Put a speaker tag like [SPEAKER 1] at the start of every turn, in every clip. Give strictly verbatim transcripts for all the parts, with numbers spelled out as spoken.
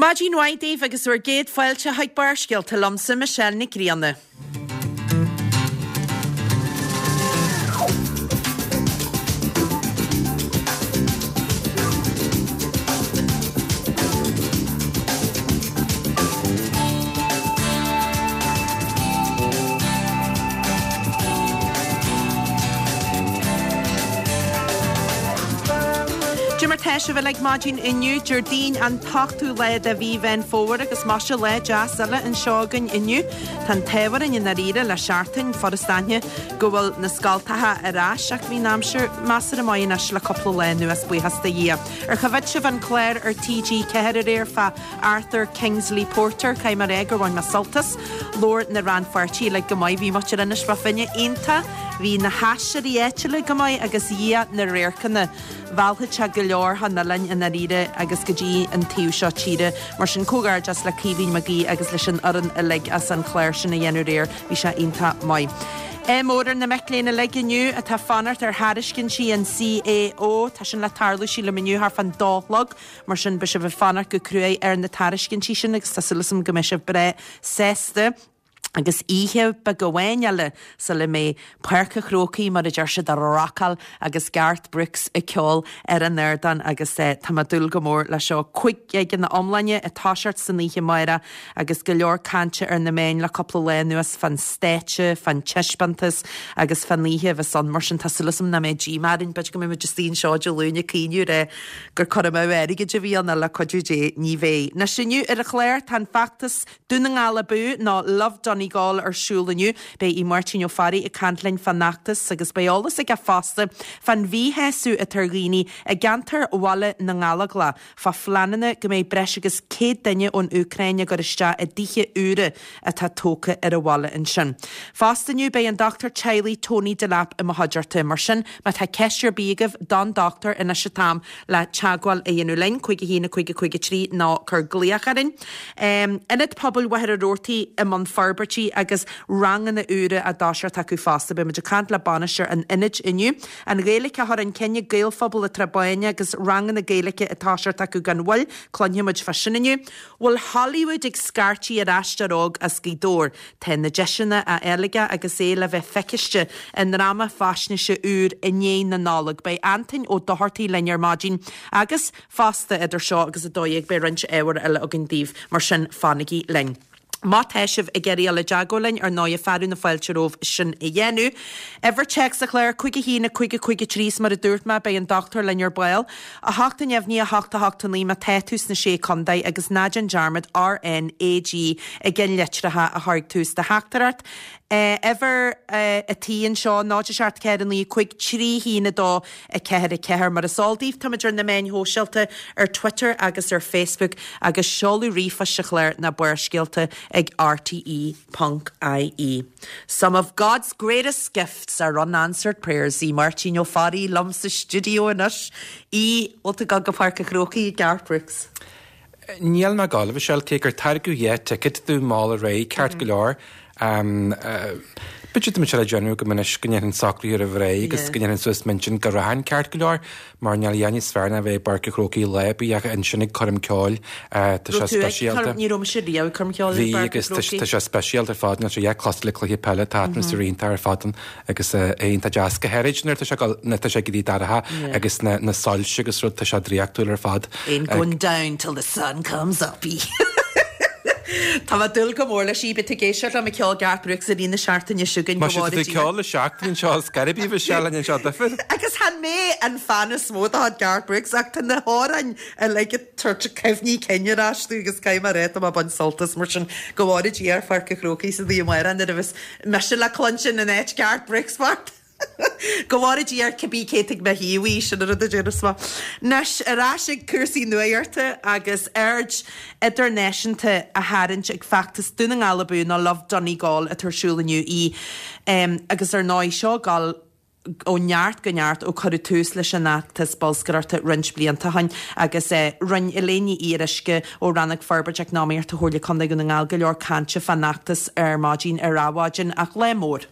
[SPEAKER 1] Maidin mhaith daoibh agus bhur gcéad fáilte chuig Barrscéalta liomsa Michelle Nic Grianna. Cad é mar tá sibh uilig maidin inniu, Déardaoin an t-ochtú lá de mhí Mheán Fómhair agus maise lá deas eile anseo againn inniu. Tá an t-ádh orainn i ndáiríre le seachtain, furast aithne go bhfuil na scalltacha ar ais ach bhí an aimsir measartha maith anois le cúpla lá anuas, buíochas do Dhia. Ar choimhéad sibh an clár ar TG ceathair aréir fá Arthur Kingsley Porter, caithfidh mé a rá gur bhain mé sult as. Labhair na rannpháirtithe uilig go maith, bhí muintir Inis Bó Finne iontach, bhí na haisteoirí áitiúla go maith agus Dhia na radharcanna. Mheallfadh sé go leor chun oileáin i ndáiríre agus go dtí an taobh seo tíre. Mar sin, comhghairdeas le Caoimhín Mag Aoidh agus leis an fhoireann uilig as an chlár sin a dhéanamh aréir. Bhí sé iontach maith. Ádh mór ar na mic léinn uilig inniu atá ag fanacht ar thairiscintí an CAO. Tá sin le tarlú sílim inniu thart fán dó a chlog. Mar sin, beidh sibh ag fanacht go cruaidh ar na tairiscintí sin agus tá súil agam go mbeidh sibh breá sásta. Agus oíche beag amháin eile sula mbeidh Páirc an Chrócaigh, mar a deir siad, á rocáil agus Garth Brooks ag ceol ar an ardán agus tá mé ag dúil go mór leis seo. Cúig ghig ina iomláine ag toiseacht san oíche amárach agus go leor cainte ar na meáin le cúpla lá anuas fán stáitse, fán taispeántas agus fán oíche a bheas ann. Mar sin tá súil agam nach mbeidh díomá orainn, b'fhéidir go mbeidh muid istigh anseo Dé Luain ag caoineadh ar gur cur amú airgid a bhí ann ach le cuidiú Dé ní bheidh. Anois inniu ar an chlár tá an feachtas Dún na nGall Abú nó Love Donegal ar siúl inniu. Beidh Aodh Máirtín Ó Fearraigh ag caint linn fán fheachtas agus beidh eolas aige fosta fán mhíshásamh atá ar dhaoine i gceantar Bhaile na nGallóglach fá phleananna go mbeidh breis agus céad duine ón Úcráin á gcur isteach i dtithe úra atá tógtha ar an bhaile ansin. Fosta inniu beidh an dochtúir teaghlaigh Tony Delap i mo chuideachta. Mar sin má tá ceist ar bith agaibh don dochtúir anois an t-am le teagmháil a dhéanamh linn, cúig a haon a cúig a cúig a trí nó cuir glaoch orainn. Ionad Pobail Mhachaire Rabhartaigh i mbun forbairtí agus ranganna úra á dtoiseacht acu fosta. Beidh muid ag caint le bainisteoir an ionaid inniu. An Ghaeilge á chur chun cinn ag Gaelphobal an tSrath Báin agus ranganna Gaeilge ag toiseacht acu gan mhoill. Cluinfidh muid fá sin inniu. Bhfuil Hollywood ag scairtigh ar aisteoir óg as Gaoth Dobhair? Tá na deiseanna á fháil aige agus é le bheith feiciste i ndráma faisnéise úr i ndiaidh na Nollag. Beidh Antain Ó Dochartaigh linn ar maidin agus fosta idir seo agus a dó dhéag beidh roinnt ábhair eile againn daoibh, mar sin fanaigí linn. Má tá sibh ag iarraidh dul i dteagmháil linn, ar ndóighe, fearadh na fáilte romhaibh sin a dhéanamh. Uimhir téacs an chláir, cúig a haon a cúig a cúig a trí, is mar a dúirt mé, beidh an dochtúir linn ar ball. A hocht a neamhní, a hocht a hocht a naoi má tá tú sna Sé Contae agus ná déan dearmad RNAG i gceannlitreacha a chur ag tús do theachtaireacht. Uimhir a tí anseo, náid a seacht ceathair a naoi cúig trí haon a dó a ceathair a ceathair. Mar is eol daoibh, táimid ar na meáin shóisialta, ar Twitter agus ar Facebook, agus seoladh ríomhphoist an chláir ná Barrscéalta ag rte ponc ie. Some of God's greatest gifts are unanswered prayers. Aodh Máirtín Ó Fearraigh liom sa stiúideo anois. Aodh, bhfuil tú ag dul go Páirc an Chrócaigh ag Garth Brooks?
[SPEAKER 2] Níl mé ag gabháil, a Mhichelle, cé gur tairgeadh dhá ticket domh mall aréir, ceart go leor. B'fhéidir tá mé ag déanamh go anois go ndéanfainn socruithe roimh ré agus go ndéanfainn suas m'intinn go rachainn ceart go leor, mar níl a dhath níos fearr ná bheith i bPáirc an Chrócaigh lá ar bith ach ansin ag coirm ceoil, tá sé speisialta.
[SPEAKER 1] Ní raibh mise riamh ag coirm cheoil i
[SPEAKER 2] Bhí
[SPEAKER 1] bPáirc an
[SPEAKER 2] agus
[SPEAKER 1] Chrócaigh.
[SPEAKER 2] tá sé speisialta ar fad, níl sé a dhath cosúil le cluiche peile, tá atmaisféar iontach ar fad ann agus é iontach deas, go háirid nuair atá sé nuair atá sé ag éirí dorcha agus na na soilse agus rud, tá sé draíochtúil ar fad.
[SPEAKER 1] Ain't going down till the sun comes up. Tá mé ag dúil go mór leis, beidh tú ag éisteacht liom ag ceol Garth Brooks i rith na seachtaine seo chugainn, go
[SPEAKER 2] Má
[SPEAKER 1] bhfóire
[SPEAKER 2] tá tú ag
[SPEAKER 1] Dia.
[SPEAKER 2] ceol le seachtain anseo, is gairid a Mhichelle anseo duifir.
[SPEAKER 1] Agus chan mé an fan is mó de chuid Garth Brooks ach tá na hamhráin uilig ag tabhairt cuimhní cinn ar ais domh agus caithfidh mé a rá tá mé ag baint sult as mar sin go bhfóire Dia ar Pháirc an Chrócaigh san oíche amárach nuair a bheas mise le cluinstin in áit Garth Brooks bocht. Go bhfóire Dia ar cibé cé atá ag mo thaobh í, sin an rud a déarfas mé. Anois, ar ais ag cúrsaí nuachta agus aird idirnáisiúnta á tharraingt ag feachtas Dún na nGall Abú nó Love Donegal atá ar siúl inniu í agus ar ndóigh seo ag dul ó neart go neart ó cuireadh tús leis an fheachtas bolscaireachta roinnt blianta ó shin agus rinne Elaine Ní Fhíoruisce ó Rannóg Forbairt Eacnamaíochta Chomhairle Contae Dhún na nGall go leor cainte fán fheachtas ar maidin ar Adhmhaidin ach lá mór.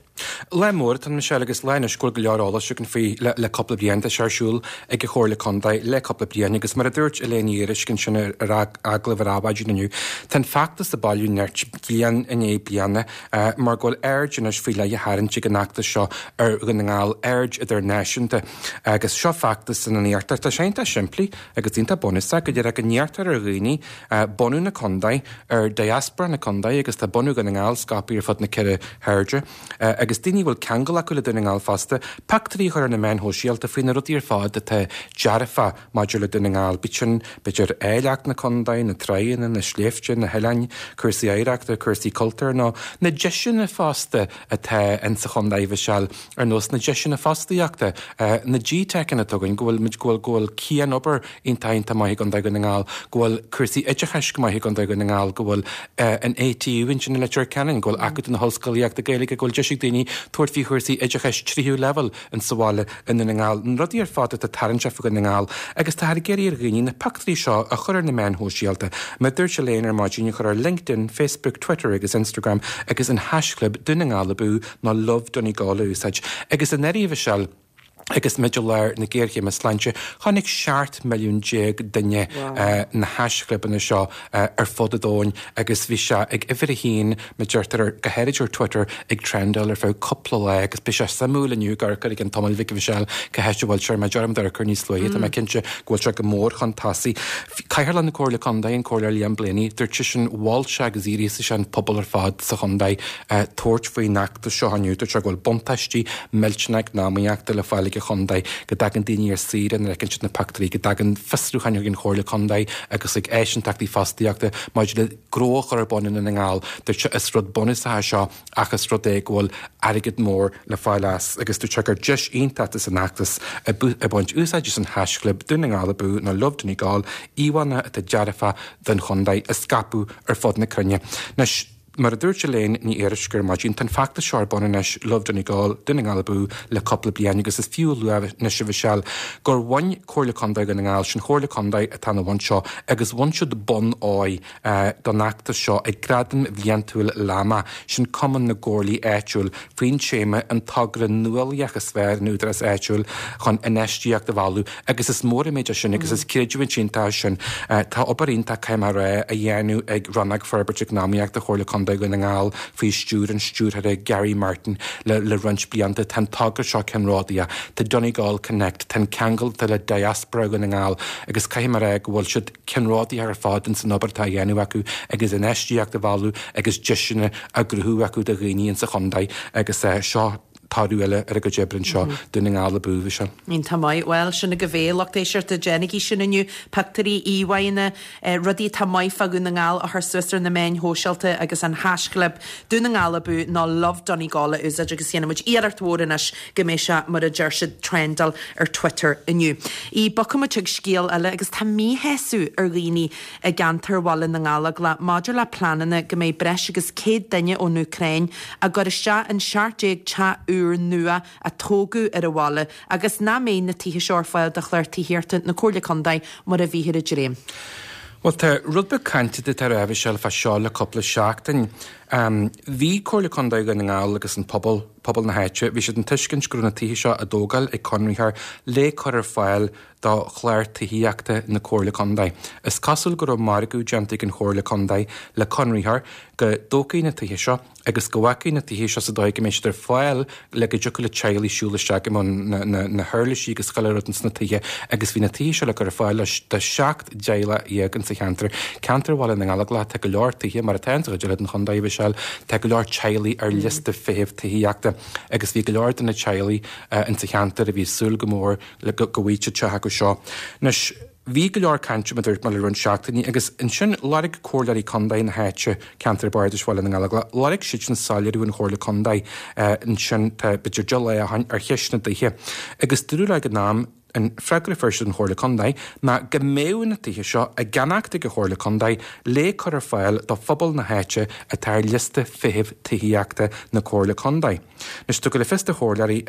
[SPEAKER 2] Lá mór atá ann, Michelle, agus lá anois go bhfuil go leor eolais againn faoi le le cúpla bliain. Tá sé ar siúl ag an Chomhairle Contae le cúpla bliain agus mar a dúirt Elaine Ní Fhuaruisce ansin ar agallamh ar Adhmhaidin inniu, tá an feachtas ag bailiú nirt bliain i ndiaidh bliana mar go bhfuil aird anois faoi leith á tharraingt ag an fheachtas seo ar Dhún na nGall, aird idirnáisiúnta. Agus seo feachtas ina n-iarrtar, tá sé iontach simplí agus iontach bunúsach, go díreach go n-iarrtar ar dhaoine bunadh na contae, ar diaspora na contae agus tá bunadh Dhún na nGall scaipthe ar fud na ceithre hairde. Agus daoine a bhfuil ceangal acu le Dún na nGall fosta, pictiúirí a chur ar na meáin shóisialta faoi na rudaí ar fad atá dearfa maidir le Dún na nGall, bíodh sin, b'fhéidir, áilleacht na contae, na tráigheanna, na sléibhte, na hoileáin, cúrsaí oidhreachta, cúrsaí cultúir nó na deiseanna fosta atá in sa chontae, Mhichelle, ar nós na deiseanna fostaíochta, na G-Teiceanna atá againn, go bhfuil muid, go bhfuil, go bhfuil cianobair iontach, iontach maith i gContae Dhún na nGall, go bhfuil cúrsaí oideachais go maith i gContae Dhún na nGall, go bhfuil an A T U ansin i Leitir Ceanainn, go bhfuil Acadamh na hOllscolaíochta Gaeilge, go bhfuil deis ag daoine tabhairt faoi chúrsaí oideachais tríú leibhéal in sa bhaile i nDún na nGall, na rudaí ar fad atá tarraingteach faoi Dhún na nGall agus táthar ag iarraidh ar dhaoine na pictiúirí seo a chur ar na meáin shóisialta, mar a dúirt Elaine ar maidin, a chur ar LinkedIn, Facebook, Twitter agus Instagram agus an haischlib Dún na nGall Abú nó Love Donegal a úsáid. Agus anuraidh, a Mhichelle, agus muid i lár na géarchéime sláinte, chonaic seacht milliún déag duine na haischlibeanna seo ar fud an domhain agus bhí sé ag uimhir a haon, mar a deirtear, go háirid ar Twitter, ag trendáil ar feadh cúpla lá agus beidh sé suimiúil inniu ag amharc air i gceann tamaill bhig, a Mhichelle, cá háit a bhfuil sé, mar deirim d'amharc air níos luaithe, tá mé cinnte go bhfuil sé go mór chun tosaigh. Cathaoirleach na Comhairle Contae, an Comhairleoir Liam Blaney, dúirt seisean, mhol sé agus ghríosaigh sé an pobal ar fad sa chontae tabhairt faoin fheachtas seo inniu. Dúirt sé go bhfuil buntáistí millteanach eacnamaíochta le fáil ag an chontae, go dtagann daoine ar saoire nuair a fheiceann siad na pictiúirí, go dtagann fiosrúcháin chuig an Chomhairle Contae agus chuig áisinteachtaí fostaíochta maidir le gnó a chur ar bun i nDún na nGall. Dúirt sé, is rud bunúsach é seo ach is rud é go bhfuil airgead mór le fáil as agus dúirt sé gur deis iontach atá san fheachtas ag baint úsáid as an haischlib Dún na nGall Abú nó Love Donegal, íomhánna atá dearfa don chontae a scaipeadh ar fud na cruinne. Anois, mar a dúirt Elaine Ní Fhuaruisce ar maidin, tá an feachtas seo ar bun anois, Love Donegal, Dún na nGall Abú, le cúpla bliain agus is fiú a lua anois, a Mhichelle, gur bhain Comhairle Contae Dhún na nGall, sin Comhairle Contae atá ina bhun seo, agus bhain siad bonn óir don fheachtas seo ag Gradaim Bhliantúil LAMA, sin Cumann na gComhairlí Áitiúil, faoin téama 'An Togra Nuálaíoch is Fearr in Údarás Áitiúil chun Infheistíocht a Mhealladh' agus is mór an méid é sin agus is creidiúint iontach é sin. Tá obair iontach, caithfidh mé a rá, á dhéanamh ag Rannóg Forbartha Eacnamaíochta Chomhairle Contae Dhún na nGall faoi stiúir an Stiúrthóra Gary Martin le le roinnt blianta. Tá an togra seo ceannródaíoch. Tá Donegal Connect, tá an ceangal atá le diaspora Dhún na nGall agus caithfidh mé a rá go bhfuil siad ceannródaíoch ar fad ins an obair atá á dhéanamh acu agus infheistíocht a mhealladh agus deiseanna á gcruthú acu do dhaoine ins an chontae agus seo toradh eile ar a gcuid oibre anseo, Dún na nGall Abú, Mhichelle.
[SPEAKER 1] Iontach maith. Bhuel, sin agaibh é, lucht éisteachta, déanaigí sin inniu, pictiúirí, íomhánna, rudaí atá maith fá Dhún na nGall a chur suas ar na meáin shóisialta agus an haischlib Dún na nGall Abú nó Love Donegal a úsáid agus déanfaidh muid iarracht mhór anois go mbeidh sé, mar a deir siad, trendáil ar Twitter inniu. Í, Bogfaidh muid chuig scéal eile agus tá míshásamh ar dhaoine i gceantar Bhaile na nGallóglach maidir le pleananna go mbeidh breis agus céad duine ón Úcráin á gcur isteach in seacht déag teach úrnua a tógadh ar an bhaile agus nach mbeidh na tithe seo ar fáil do chlár tithíochta na Comhairle Contae mar a bhíthear ag dréim.
[SPEAKER 2] Bhuel, tá rud beag cainte atá a Mhichelle fá seo le cúpla seachtain. Bhí Comhairle Contae Dhún na nGall agus an pobal, pobal na háite, bhí siad den tuiscint go raibh na tithe seo á dtógáil ag conraitheoir le cur ar fáil do chlár tithíochta na Comhairle Contae. Is cosúil go raibh margadh déanta ag an Chomhairle Contae le conraitheoir go dtógfaí na tithe seo agus go bhfágfaí na tithe seo sa dóigh go mbeidh siad ar fáil le go dtiocfadh le teaghlaigh siúl isteach i mbun na huirlisí agus chuile rud ins na tithe agus bhí na tithe seo le cur ar fáil do seacht dteaghlach dhéag insa cheantar. Ceantar Bhaile na nGallóglach, tá go leor tithe, mar atá insa chuid eile den chontae, a Mhichelle, tá go leor teaghlaigh ar liosta feithimh tithíochta agus bhí go leor de na teaghlaigh insa cheantar a bhí ag súil go mór le go bhfaighidh siad teach acu seo. Anois, bhí go leor cainte, mar a dúirt mé, le roinnt seachtainí agus ansin lorg comhairleoirí contae na háite, ceantar bardais Bhaile na nGallóglach, lorg siadsan soiléiriú ón Chomhairle Contae ansin, tá b'fhéidir deich lá ó shin, ar cheist na dtithe. Agus dúradh leo ag an am, An freagra a fuair siad ón Chomhairle Contae ná go mbeadh na tithe seo á gceannacht ag an Chomhairle Contae le cur ar fáil do phobal na háite atá ar liosta feithimh tithíochta na Comhairle Contae. Anois tugadh le fios do chomhairleoirí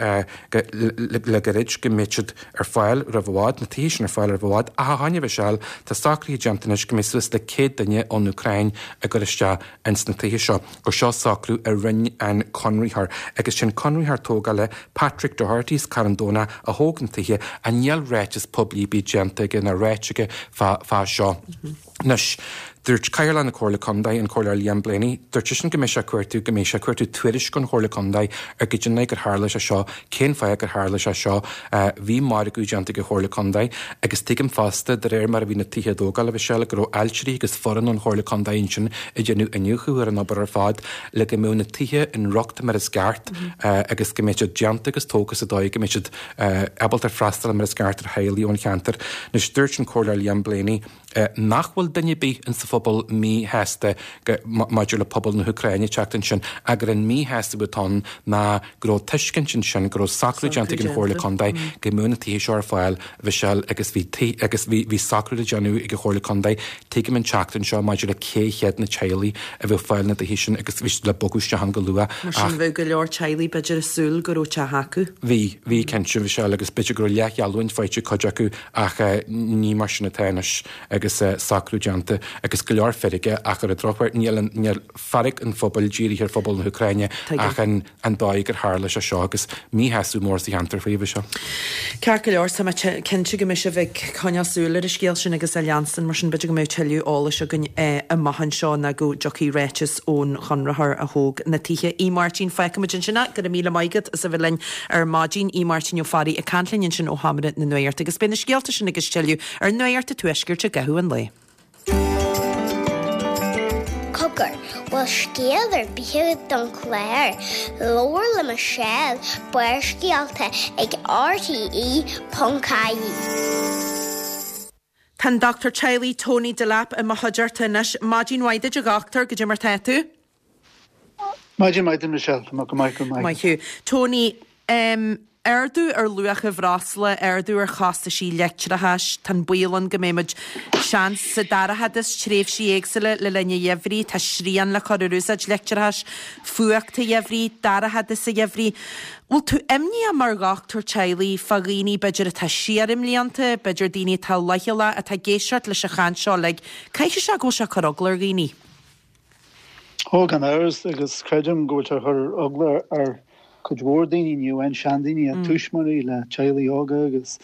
[SPEAKER 2] le gairid go mbeidh siad ar fáil roimh i bhfad, na tithe sin ar fáil roimh i bhfad, ach a choinne Mhichelle, tá socruithe déanta anois go mbeidh suas le céad duine ón Úcráin ag cur isteach ins na tithe seo, gur seo socrú a rinne an conraitheoir agus sin conraitheoir tógála Patrick Doherty as Carn Domhnach a thóg na tithe ach níl ráiteas poiblí ar bith déanta aige ná ráite aige fá seo. Anois, dúirt Cathaoirleach na Comhairle Contae, an Comhairleoir Liam Blaney, dúirt seisean go mbeidh sé ag cuartú, go mbeidh sé ag cuartú tuairisc ón Chomhairle Contae ar goidé an dóigh gur tharla sé seo, cén fáth gur tharla sé seo. Bhí margadh déanta ag an Chomhairle Contae agus tuigim fosta, de réir mar a bhí na tithe á dtógáil, a Mhichelle, go raibh ailtirí agus foireann ón Chomhairle Contae ansin ag déanamh iniúchadh ar an obair ar fad le go mbeadh na tithe in riocht mar is ceart agus go mbeadh siad déanta agus tógtha sa dóigh go mbeadh siad ábalta freastal mar is ceart ar theaghlaigh ón cheantar. Anois, dúirt an Comhairleoir Liam Blaney nach bhfuil duine ar bith insa phobal míshásta maidir le pobal na hÚcráine teacht ansin ach gur an míshásamh atá ann ná go raibh tuiscint ansin go raibh socrú déanta ag an Chomhairle Contae go mbeadh na tithe seo ar fáil a Mhichelle agus bhí agus bhí bhí socrú le déanamh ag an Chomhairle Contae tuigim an tseachtain seo maidir le cé hiad na teaghlaigh a bheadh ag fáil na dtithe sin agus bhí siad le bogadh isteach ann go luath.
[SPEAKER 1] Mar sin bheadh go leor teaghlaigh b'fhéidir ag súil go raibh teach acu.
[SPEAKER 2] Bhí, bhí cinnte Mhichelle agus b'fhéidir go raibh leathgheallúint faighte ag cuid acu ach ní mar sin atá anois agus socrú déanta agus go leor feirge ach ar an drochuair níl níl fearg an phobail dírithe ar phobal na hÚcráine ach an an dóigh gur tharla sé seo agus míshásamh mór sa cheantar faoi seo.
[SPEAKER 1] Ceart go leor tá mé cinnte go mbeidh sibh ag coinneáil súil ar an scéal sin agus a leanstan mar sin b'fhéidir go mbeidh tuilleadh eolais againn amach anseo ná go dtiocfaidh ráiteas ón chonraitheoir a thóg na tithe. Aodh Máirtín fágfaimid ansin é go raibh míle maith agat as a bheith linn ar maidin Aodh Máirtín Ó Fearraigh ag caint linn ansin ó Sheomra na Nuachta agus beidh na scéalta sin agus tuilleadh ar Nuacht an Tuaiscirt i gcaitheamh an lae.
[SPEAKER 3] Cogar, bhfuil scéal ar bith agat don chlár, Labhair le Michelle, Barrscéalta ag RTE.ie.
[SPEAKER 1] Tá an dochtúir teaghlaigh Tony Delap i mo chuideachta anois. Maidin mhaith duit a dhochtúir goidé mar tá tú?
[SPEAKER 4] Maidin mhaith Michelle, go maith go maith.
[SPEAKER 1] Maith thú. Tony, um, ardú ar luach an bhreosla, ardú ar chostaisí leictreachais, tá an baol ann go mbeimid seans sa dorchadas tréimhsí éagsúla le linn an gheimhridh, tá srian le cur ar úsáid leictreachais, fuacht sa gheimhreadh, dorchadas sa gheimhreadh. Bhfuil tú imníoch mar dhochtúir teaghlaigh fá dhaoine b'fhéidir atá siar i mblianta, b'fhéidir daoine atá leochaileach atá ag éisteacht leis an chaint seo like, caithfidh sé go bhfuil sé ag cur eagla ar dhaoine.
[SPEAKER 4] Ó gan amhras agus creidim go bhfuil sé ag cur eagla ar cuid mhór daoine ní amháin seandaoine mm. tuismitheoirí le teaghlaigh óga agus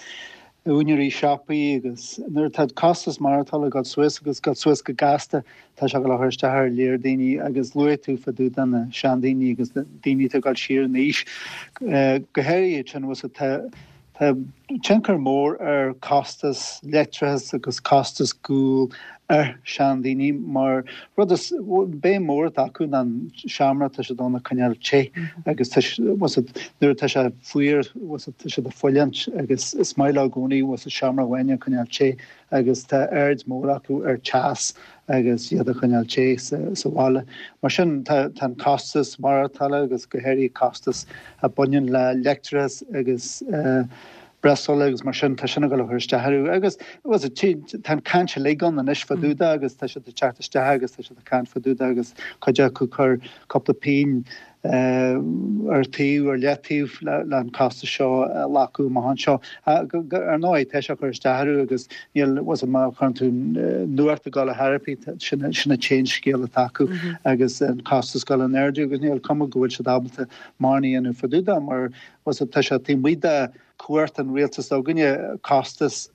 [SPEAKER 4] úinéirí siopaí agus nuair atá costas maireachtála ag dul suas agus dul suas go gasta tá sé go chur isteach ar leor daoine agus luaigh tú fá dtaobh de na seandaoine agus daoine atá ag dul siar in aois go háirithe sin tá Tá tionchar mór ar costas leictreachas agus costas guail ar seandaoine mar rud is béim mór atá acu ná an seomra tá siad ann a choinneáil te agus nuair atá sé fuar tá siad ag fulaingt agus is maith leo i gcónaí seomra amháin a choinneáil te agus tá aird mór acu ar teas agus iad a choinneáil te sa bhaile. Mar sin tá an costas maireachtála agus go háirithe costas a bhaineann le leictreachas agus breosla agus mar sin tá sin ag dul isteach orthu agus tá an caint uilig ann anois fá dtaobh de agus tá siad ag teacht isteach agus tá siad ag caint fá dtaobh de agus cuid acu cur cúpla pingin ar taobh ar leataobh le an costas seo a laghdú amach anseo. Ar ndóigh tá sé ag cur isteach orthu agus níl má chuireann tú nuacht ag dul ar chor ar bith sin an t-aon scéal atá acu agus an costas ag dul in airde agus níl cuma go bhfuil siad ábalta mórán a dhéanamh fá dtaobh de mar tá sé taobh amuigh de chumhacht an rialtas againne costas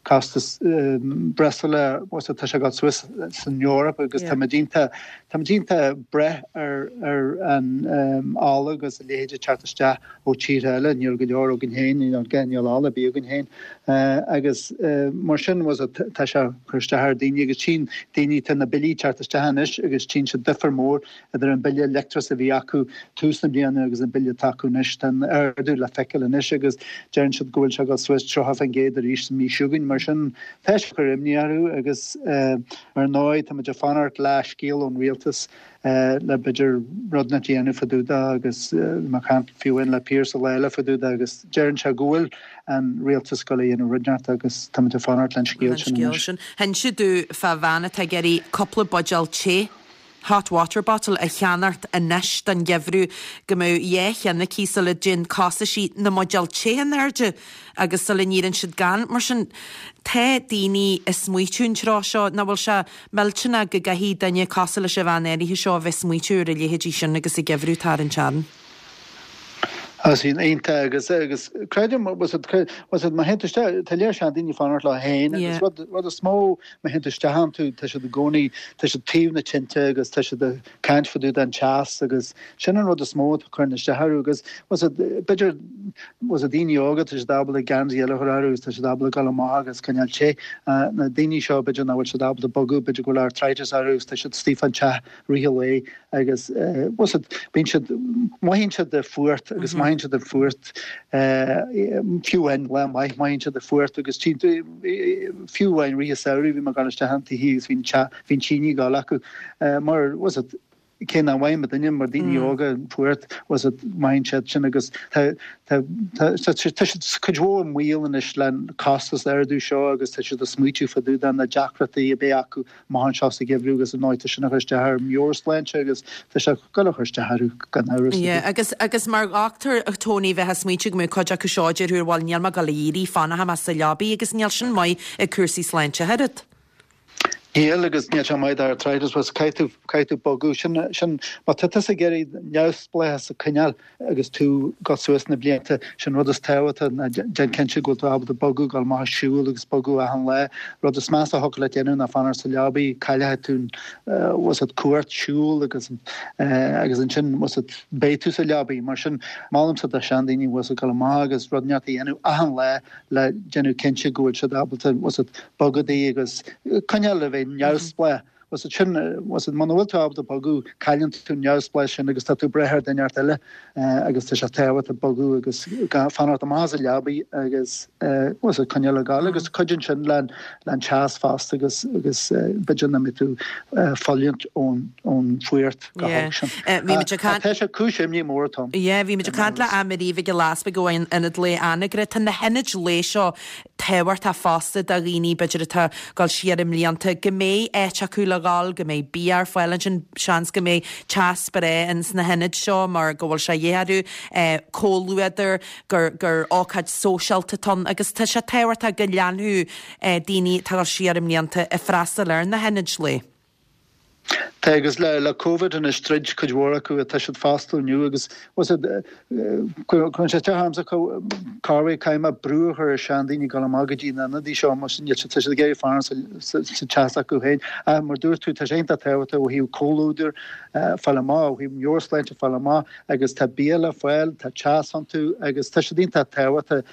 [SPEAKER 4] costas breosla tá sé ag dul suas san Eoraip agus tá iontach tá iontach ag brath ar ar an ola agus a leithéid teacht isteach ó tíortha eile níl go leor againn féin níl níl ola ar bith againn féin agus mar sin was tá sé cur isteach ar daoine agus tchíonn daoine tá na billí teacht isteach anois agus tchíonn siad difear mór idir an bille leictreachais a bhí acu tús na bliana agus an bille atá acu anois tá ardú le feiceáil anois agus deireann siad go bhfuil sé ag dul suas tríocha faoin gcéad arís sa mhí seo chugainn Mar sin tá sé ag cur imní orthu agus ar ndóigh tá muid ag fanacht le scéal ón rialtas le b'fhéidir rud inteacht a dhéanamh fá dtaobh de agus bhí mé ag caint fiú amháin le Pearse an lá eile fá dtaobh de agus deireann sé go bhfuil an rialtas ag gabháil a dhéanamh rud inteacht agus tá muid ag fanacht len scéal sin anois.
[SPEAKER 1] Hinse domh fá bhean atá ag iarraidh cúpla buidéal te hot water bottle a cheannacht anois don gheimhreadh go mbeadh dhá cheann aici sula dtéann costaisí na mbuidéal te in airde agus sula n-éiríonn siad gann. Mar sin, tá daoine ag smaoitiú an tráth seo nach bhfuil sé millteanach go gcaithfidh duine cosúil leis an bhean áirithe seo a bheith ag smaoitiú ar a leithéidí sin agus an geimhreadh atá ar an tearn.
[SPEAKER 4] Sin iontach agus agus creidim was it was it má théann tú isteach tá léir seandaoine fanacht leo féin agus rud rud is mó má théann tú isteach iontu tá siad i gcónaí tá siad taobh na tinte agus tá siad ag caint fá dtaobh den teas agus sin an rud is mó atá cuireann isteach orthu agus was it b'fhéidir was it daoine óga tá siad ábalta geansaí eile a chur orthu agus tá siad ábalta dul amach agus coinneáil te na daoine seo b'fhéidir nach bhfuil siad ábalta bogadh b'fhéidir go bhfuil arthritis orthu agus tá siad istigh fán teach rith an lae agus was it bíonn siad mothaíonn siad an fuacht agus mothaíonn siad an fuacht fiú amháin lá maith mothaíonn siad an fuacht agus fiú amháin rith an samhradh bhí mé ag dul isteach an tithe agus bhí bhí an tine ag dul acu mar was it cé nach bhfaigheann duine mar daoine óga an fuacht was it mothaíonn siad sin agus tá tá tá siad cuid mhór i mbaol anois le costas ardú seo agus tá siad ag smaoitiú fá dtaobh de na deacrachtaí a bheidh acu amach anseo sa gheimhreadh agus ar ndóigh tá sin ag cur isteach ar meabhairshláinte agus tá sé ag dul a chur isteach orthu gan amhras.
[SPEAKER 1] Yeah, agus agus mar dhochtúir Tony bheith ag smaoitiú go mbeadh cuid acu seo a déarfadh bhuel níl mé ag dul a éirí fanfaidh mé sa leabaidh agus níl sin maith ag cúrsaí sláinte oiread.
[SPEAKER 4] Níl agus níl sé maith d'arthritis was caithfidh tú caithfidh tú bogadh sin sin má tá tusa ag iarraidh neamhspleáchas a choinneáil agus tú ag dul suas na blianta sin rud is tábhachtaí ná déan cinnte go bhfuil tú ábalta bogadh dul amach ag siúl agus bogadh achan lá rud is measa a thiocfadh leat déanamh ná fanacht sa leabaidh caillfidh tú was it cumhacht siúl agus agus ansin was it beidh tú sa leabaidh mar sin molaimse do seandaoine was it dul amach agus rud inteacht a dhéanamh achan lá le déanamh cinnte go bhfuil siad ábalta was it bogadh agus coinneáil le bheith neamhspleách. Was it sin was it muna bhfuil tú ábalta bogadh cailleann tú neamhspleáchas sin agus tá tú ag brath ar dhuine inteacht eile agus tá sé tábhachtach bogadh agus fanacht amach as an leabaidh agus was it coinneáil ag dul agus cuidíonn sin le le an teas fosta agus agus b'fhéidir nach mbeidh tú fulaingt ón ón fuacht go holc sin. Tá sé cúis imní mór atá.
[SPEAKER 1] Yeah, bhí muid ag caint le Anne-Marie Mhic Giolla Easpaig ó Ionad Lae Anagaire. Tá na hionaid lae seo tábhachtach fosta do dhaoine b'fhéidir atá ag dul siar i mblianta go mbeidh áit acu le dhul, go mbeidh bia ar fáil ansin, seans go mbeidh teas breá ins na hionaid seo mar go bhfuil sé de dhíth orthu, comhluadar, gur gur ócáid sóisialta atá ann agus tá sé tábhachtach go leanfadh daoine atá ag dul siar i mblianta ag freastal ar na hionaid lae.
[SPEAKER 4] Tá agus le le Covid anois troid cuid mhór acu atá siad fosta inniu agus was it cuireann sé isteach ormsa corruair caithfidh mé brú a chur ar seandaoine dul amach go dtí na hionadaí seo mar níl siad tá siad ag iarraidh fanacht sa sa teas acu féin. Ach mar dúirt tú tá sé iontach tábhachtach ó thaobh comhluadar fáil amach ó thaobh meabhairshláinte fáil amach agus tá bia le fáil tá teas iontu agus tá siad iontach tábhachtach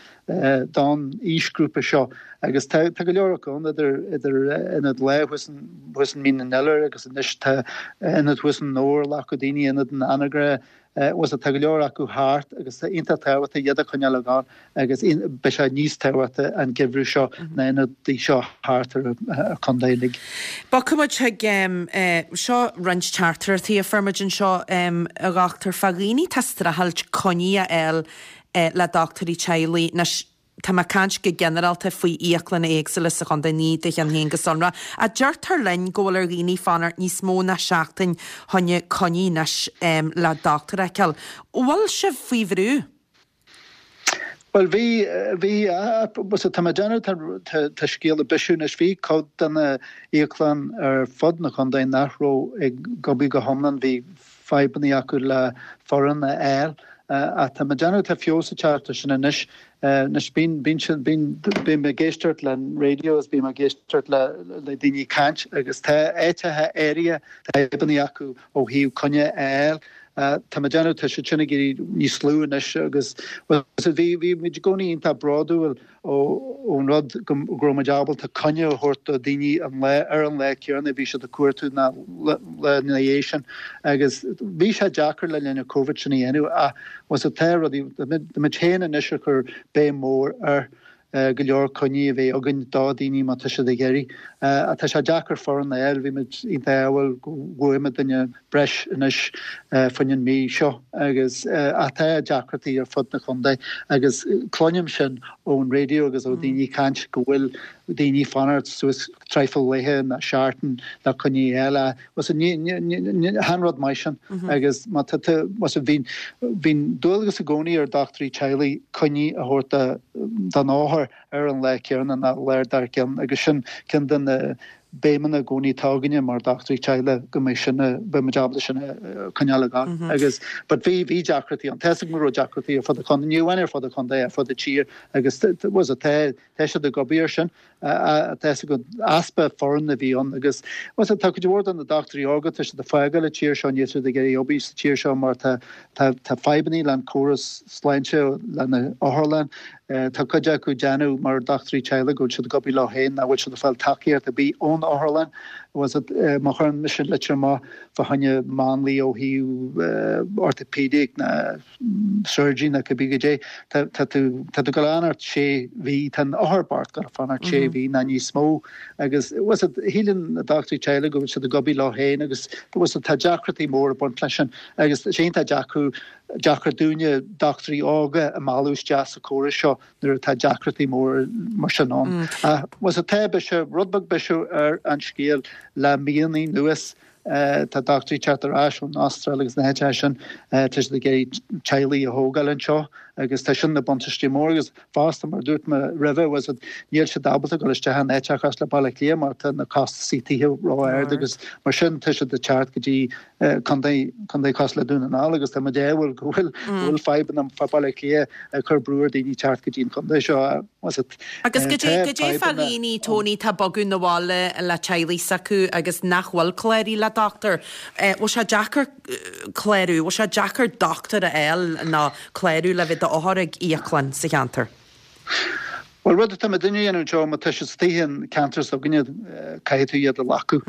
[SPEAKER 4] don aoisghrúpa seo agus tá tá go leor acu ann idir idir ionad lae thuas thuas in Mín an Iolair agus anois tá ionad thuas in Dobhar a ghlac daoine ionad in Anagaire was tá go leor acu thart agus tá iontach tábhachtach iad a choinneáil ag dul agus beidh sé níos tábhachtaí an geimhreadh seo na hionadaí seo thart ar an chontae uilig.
[SPEAKER 1] Bogfaidh muid chuig seo roinnt teachtaireachtaí a fuair muid anseo a dhochtúir fá dhaoine atá ag streachailt coinní a fháil le dochtúirí teaghlaigh. Anois, tá mé ag caint go ginearálta faoi íoclanna éagsúla sa chontae, ní do cheann féin go sonrach. Ach deirtear linn go bhfuil ar dhaoine fanacht níos mó ná seachtain choinne coinní anois le dochtúir a fheiceáil. Bhfuil sibh faoi bhrú?
[SPEAKER 4] Bhuel, bhí, bhí, tá mé ag déanamh, tá, tá scéal ag bisiú anois, bhí cuid de na íoclann ar fud na contae nach raibh ag obair go hiomlán, bhí fadhbanna acu le foireann a fháil. Ach tá mé ag déanamh, tá feabhas ag teacht air sin anois. Anois bíonn, bíonn siad, bíonn, bím ag éisteacht le an raidió agus bím ag éisteacht le, le daoine ag caint agus tá áiteacha áirithe, tá fadhbanna acu ó thaobh coinne a fháil. Tá mé ag déanamh, tá siad sin ag éirí níos lú anois agus, bhuel, bhí, bhí muid i gcónaí iontach bródúil ón rud go raibh muid ábalta coinne a thabhairt do dhaoine an lá ar an lá céanna a bhí siad ag cuartú ná lá ina dhiaidh sin agus bhí sé deacair le linn an Covid sin a dhéanamh ach was it tá rudaí tá muid féin anois ag cur béim mór ar go leor coinní a bheith againn do dhaoine má tá siad ag iarraidh. Tá sé deacair foireann a fháil, bhí muid iontach ádhúil go bhfuair muid duine breis anois faoin an mí seo agus ach tá deacrachtaí ar fud na contae agus cluinim sin ón raidió agus ó daoine ag caint go bhfuil daoine ag fanacht suas traidhfil laetha nó seachtain le coinní a fháil. Chan rud maith sin agus má tá bhí bhí dualgas i gcónaí ar dochtúirí teaghlaigh coinní a thabhairt don othar ar an lá céanna nó an lá dár gcionn agus sin ceann de na béimeanna i gcónaí atá againne mar dochtúirí teaghlaigh go mbeidh sin beidh muid ábalta sin a choinneáil ag gabháil agus but bhí bhí deacrachtaí ann. Tá a fhios agam go raibh deacrachtaí ar fud an chontae, ní amháin ar fud an chontae, ar fud an tír agus was it tá tá siad ag obair air sin. Tá a fhios agam easpa foireann a bhí ann agus was it tá cuid mhór de na dochtúirí óga tá siad ag fágáil an tír seo níl siad ag iarraidh obair sa tír seo mar tá tá tá fadhbanna le an córas sláinte le na otharlann tá cuid acu ag déanamh mar dochtúirí teaghlaigh go bhfuil siad ag obair leo féin nach bhfuil siad ag fáil tacaíocht ar bith ón otharlann was it má chuireann mise litir amach fá choinne máinlia ó thaobh orthopedic ná surgery ná cibé goidé tá tá tú tá tú ag gabháil a fhanacht sé mhí tá an othar bocht ag gabháil a fanacht sé mhí ná níos mó agus was it shíleann na dochtúirí teaghlaigh go bhfuil siad ag obair leo féin agus was it tá deacrachtaí móra ag baint leis sin agus sé iontach deacair deacair dúinne dochtúirí óga a mhealladh isteach sa chóras seo nuair atá deacrachtaí móra mar sin ann. Was it tá biseach rud beag biseach ar an scéal le míonna anuas tá dochtúirí ag teacht ar ais ón Astráil agus na háiteacha sin tá siad ag iarraidh teaghlaigh a thógáil anseo agus tá sin ina buntáiste mór agus fosta mar a dúirt mé roimhe was it níl siad ábalta dul isteach in áiteacha cosúil le Baile Átha Cliath mar tá na costasaí tithe ró-ard agus mar sin tá siad ag teacht go dtí contae contae cosúil le Dún na nGall agus tá muid ádhúil go bhfuil go bhfuil fadhbanna fá Baile Átha Cliath ag cur brú ar daoine teacht go dtí an contae seo was it
[SPEAKER 1] Agus goidé goidé fá dhaoine Tony tá ag bogadh 'na bhaile le teaghlaigh s'acu agus nach bhfuil cláraithe le dochtúir. Bhfuil sé deacair clárú, bhfuil sé deacair dochtúir a fháil nó clárú le bheith d'othar ag íoclann sa cheantar?
[SPEAKER 4] Bhuel rud atá muidinne a dhéanamh anseo má tá siad istigh an ceantar s'againne caithfidh tú iad a ghlacadh.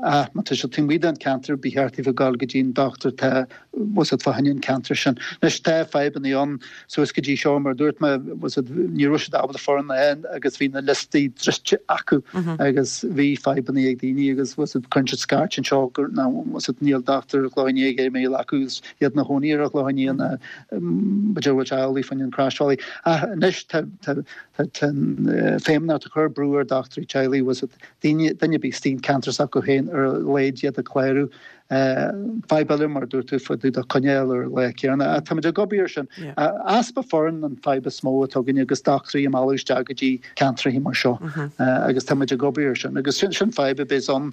[SPEAKER 4] Ach má tá siad taobh amuigh den ceantar ba cheart daofa dul go dtí an dochtúir atá was it fá choinne an ceantar sin. Anois tá fadhbanna ann suas go dtí seo mar a dúirt mé was it ní raibh siad ábalta foireann a fháil agus bhí na liostaí druidte acu agus bhí fadhbanna ag daoine agus was it cuireann siad scairt anseo gur ná was it níl dochtúir an Chlocháin Léith ag iarraidh mé a ghlacadh agus iad ina chónaí ar an Chlochán Liath ná b'fhéidir bhfuil sé amhlaidh fá choinne an Croisbhealaigh. Ach anois tá tá tá an Feidhmeannacht ag cur brú ar dochtúirí teaghlaigh was it daoine duine ar bith istigh an ceantar s'acu féin ar a laghad iad a chlárú. Fadhb eile mar a dúirt tú fá dtaobh de coinne a fháil ar an lá céanna. Ach táimid ag obair air sin. Easpa foireann an fadhb is mó atá againne agus dochtúirí a mhealladh isteach go dtí ceantracha mar seo agus táimid ag obair air sin. Agus sin sin fadhb a bheas ann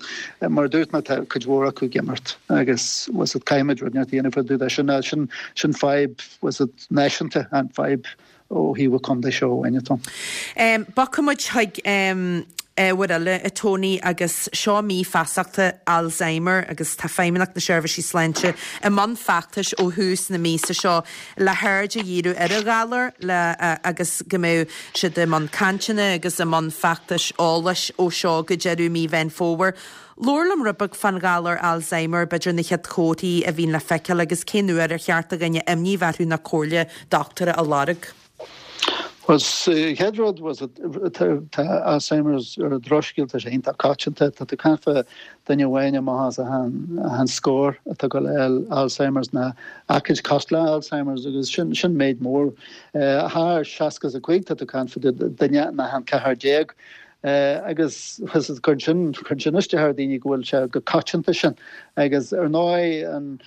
[SPEAKER 4] mar a dúirt mé tá cuid mhór acu ag imeacht agus was it caithfimid rud inteacht a dhéanamh fá dtaobh de sin. Sin sin fadhb was it náisiúnta an fadhb ó thaobh an chontae seo amháin atá
[SPEAKER 1] ann. Bogfaidh muid chuig ábhar eile, a Tony, agus seo mí feasachta Alzheimer agus tá Feidhmeannacht na Seirbhísí Sláinte i mbun feachtais ó thús na míosa seo le haird a dhíriú ar an ghalar le agus go mbeidh siad i mbun cainteanna agus i mbun feachtais eolais ó seo go deireadh mí Mheán Fómhair. Labhair liom rud beag fán ghalar Alzheimer, b'fhéidir na chéad chomharthaí a bhíonn le feiceáil agus cén uair ar cheart do dhuine imní bheith orthu nó comhairle dochtúra a lorg.
[SPEAKER 4] Bhuel, chéad rud was tá Alzheimer's ar an drochscéal, tá sé iontach coitianta, tá tú ag caint fá duine amháin amach as achan achan scór atá ag gabháil a fháil Alzheimer's nó aicíd cosúil le Alzheimer's agus sin sin méid mór. Thar seasca is a cúig tá tú ag caint fá duine in achan ceathrar déag. Agus cuireann sin cuireann sin isteach ar dhaoine go bhfuil sé chomh coitianta sin. Agus ar ndóigh an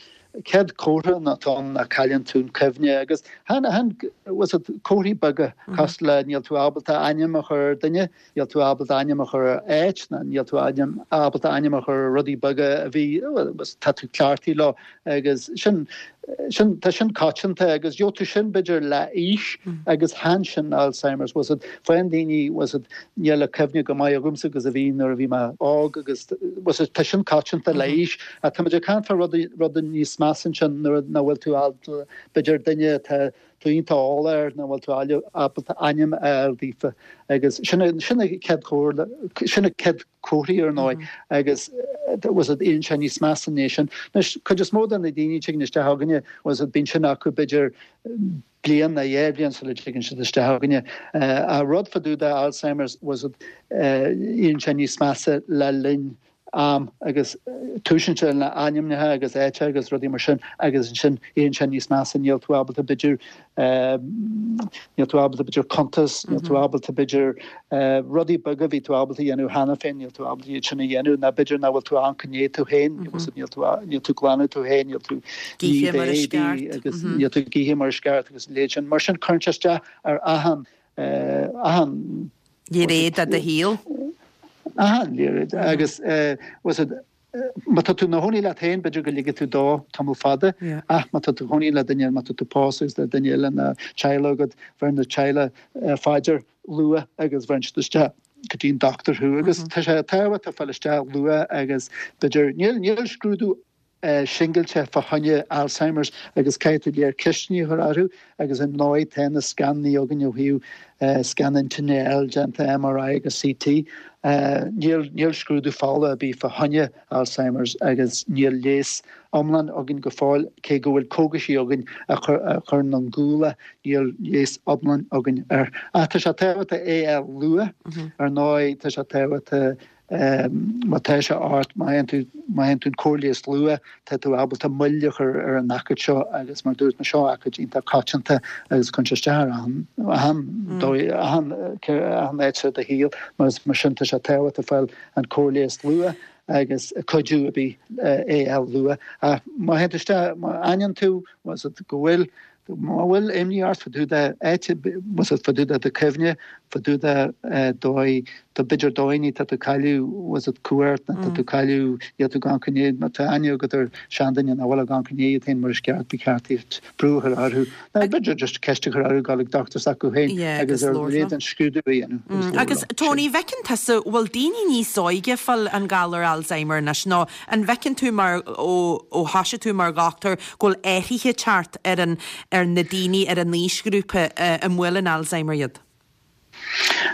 [SPEAKER 4] chéad chomhartha atá ann ná cailleann tú an cuimhne agus chan chan was it comharthaí beaga cosúil le níl tú ábalta ainm a chur ar duine, níl tú ábalta ainm a chur ar áit ná níl tú ainm ábalta ainm a chur ar rudaí beaga a bhí was tá tú cleachtaithe leo agus sin sin tá sin coitianta agus gheobhaidh tú sin b'fhéidir le aois agus chan sin Alzheimer's was it faigheann daoine was it níl a cuimhne chomh maith agamsa agus a bhí nuair a bhí mé óg agus was it tá sin coitianta le aois ach táimid ag caint fá rudaí rudaí níos measa ansin nuair nach bhfuil tú ábalta, b'fhéidir duine atá tú iontach eolach air, nach bhfuil tú ábalta ainm a fháil daofa agus sin sin an chéad chomhairle, sin an chéad comharthaí ar ndóigh agus bhfuil fhios a'd éiríonn sé níos measa ina dhiaidh sin. Anois cuid is mó de na daoine a tigeann isteach chugainne bhfuil fhios a'd bíonn sin acu b'fhéidir bliain nó dhá bhliain sula dtigeann siad isteach chugainne. An rud fá dtaobh de Alzheimer's bhfuil fhios a'd éiríonn sé níos measa le linn am agus túisíonn sé le ainmneacha agus áiteacha agus rudaí mar sin agus ansin éiríonn sé níos measa níl tú ábalta b'fhéidir níl tú ábalta b'fhéidir cuntas, níl tú ábalta b'fhéidir rudaí beaga a bhí tú ábalta a dhéanamh cheana féin, níl tú ábalta iad sin a dhéanamh nó b'fhéidir nach bhfuil tú ag amharc i ndiaidh tú féin, níl tú níl tú glanadh tú féin, níl tú
[SPEAKER 1] ag ithe mar is ceart
[SPEAKER 4] agus níl tú ag ithe mar is ceart agus a leithéid sin. Mar sin cuireann sé isteach ar achan achan
[SPEAKER 1] Gné de do shaol.
[SPEAKER 4] Achan léirid agus bhfuil fhios a'd má tá tú ina chónaí leat féin b'fhéidir go ligfidh tú dó tamall fada ach má tá tú chónaí le duine má tá tú pósta agus le duine eile nó teaghlach agat bheireann na teaghlach faoi deara luath agus bheireann siad isteach go dtí an dochtúir thú agus tá sé tábhachtach fáil isteach luath agus b'fhéidir níl níl scrúdú singilte fá choinne Alzheimer's agus caithfidh tú léir ceisteanna a chur orthu agus ar ndóigh tá na scannaí againn ó thaobh scan intinne a fháil déanta MRI agus CT. Níl níl scrúdú fola ar bith fá choinne Alzheimer's agus níl leigheas iomlán againn go fóill cé go bhfuil cógaisí againn a chuireann an guala níl leigheas iomlán againn air. Ach tá sé tábhachtach é a fháil luath ar ndóigh tá sé tábhachtach Má tá sé ort, má fhaigheann tú, má fhaigheann tú an cóir leighis luath, tá tú ábalta moill a chur ar an aicíd seo agus mar dúirt mé seo aicíd iontach coitianta agus cuireann sé isteach ar achan, achan dóigh, achan, achan áit de do shaol mar mar sin tá sé tábhachtach fáil an cóir leighis luath agus cuidiú ar bith é a fháil luath. Ach má théann tú isteach, má aithníonn tú, go bhfuil Má bhfuil imní ort fá dtaobh de áit, bhfuil fhios a'd fá dtaobh de do chuimhne, fá dtaobh de dóigh, tá b'fhéidir dóigheanna tá tú cailleadh, bhfuil fhios a'd cumhacht nó tá tú cailleadh, níl tú ag amharc i ndiaidh, má tá aithne agat ar seanduine nach bhfuil ag amharc i ndiaidh iad féin mar is ceart, ba cheart duit brú a chur orthu. Nó b'fhéidir just ceist a chur orthu dul ag dochtúir s'acu féin agus ar a laghad an scrúdú a dhéanamh.
[SPEAKER 1] Agus Tony, bhfeiceann tusa, bhfuil daoine níos óige ag fáil an galar Alzheimer anois nó an bhfeiceann tú mar ó ó thoisigh tú mar dhochtúir go bhfuil athruithe ag teacht ar an ar na daoine ar an aoisghrúpa a mbuaileann Alzheimer iad?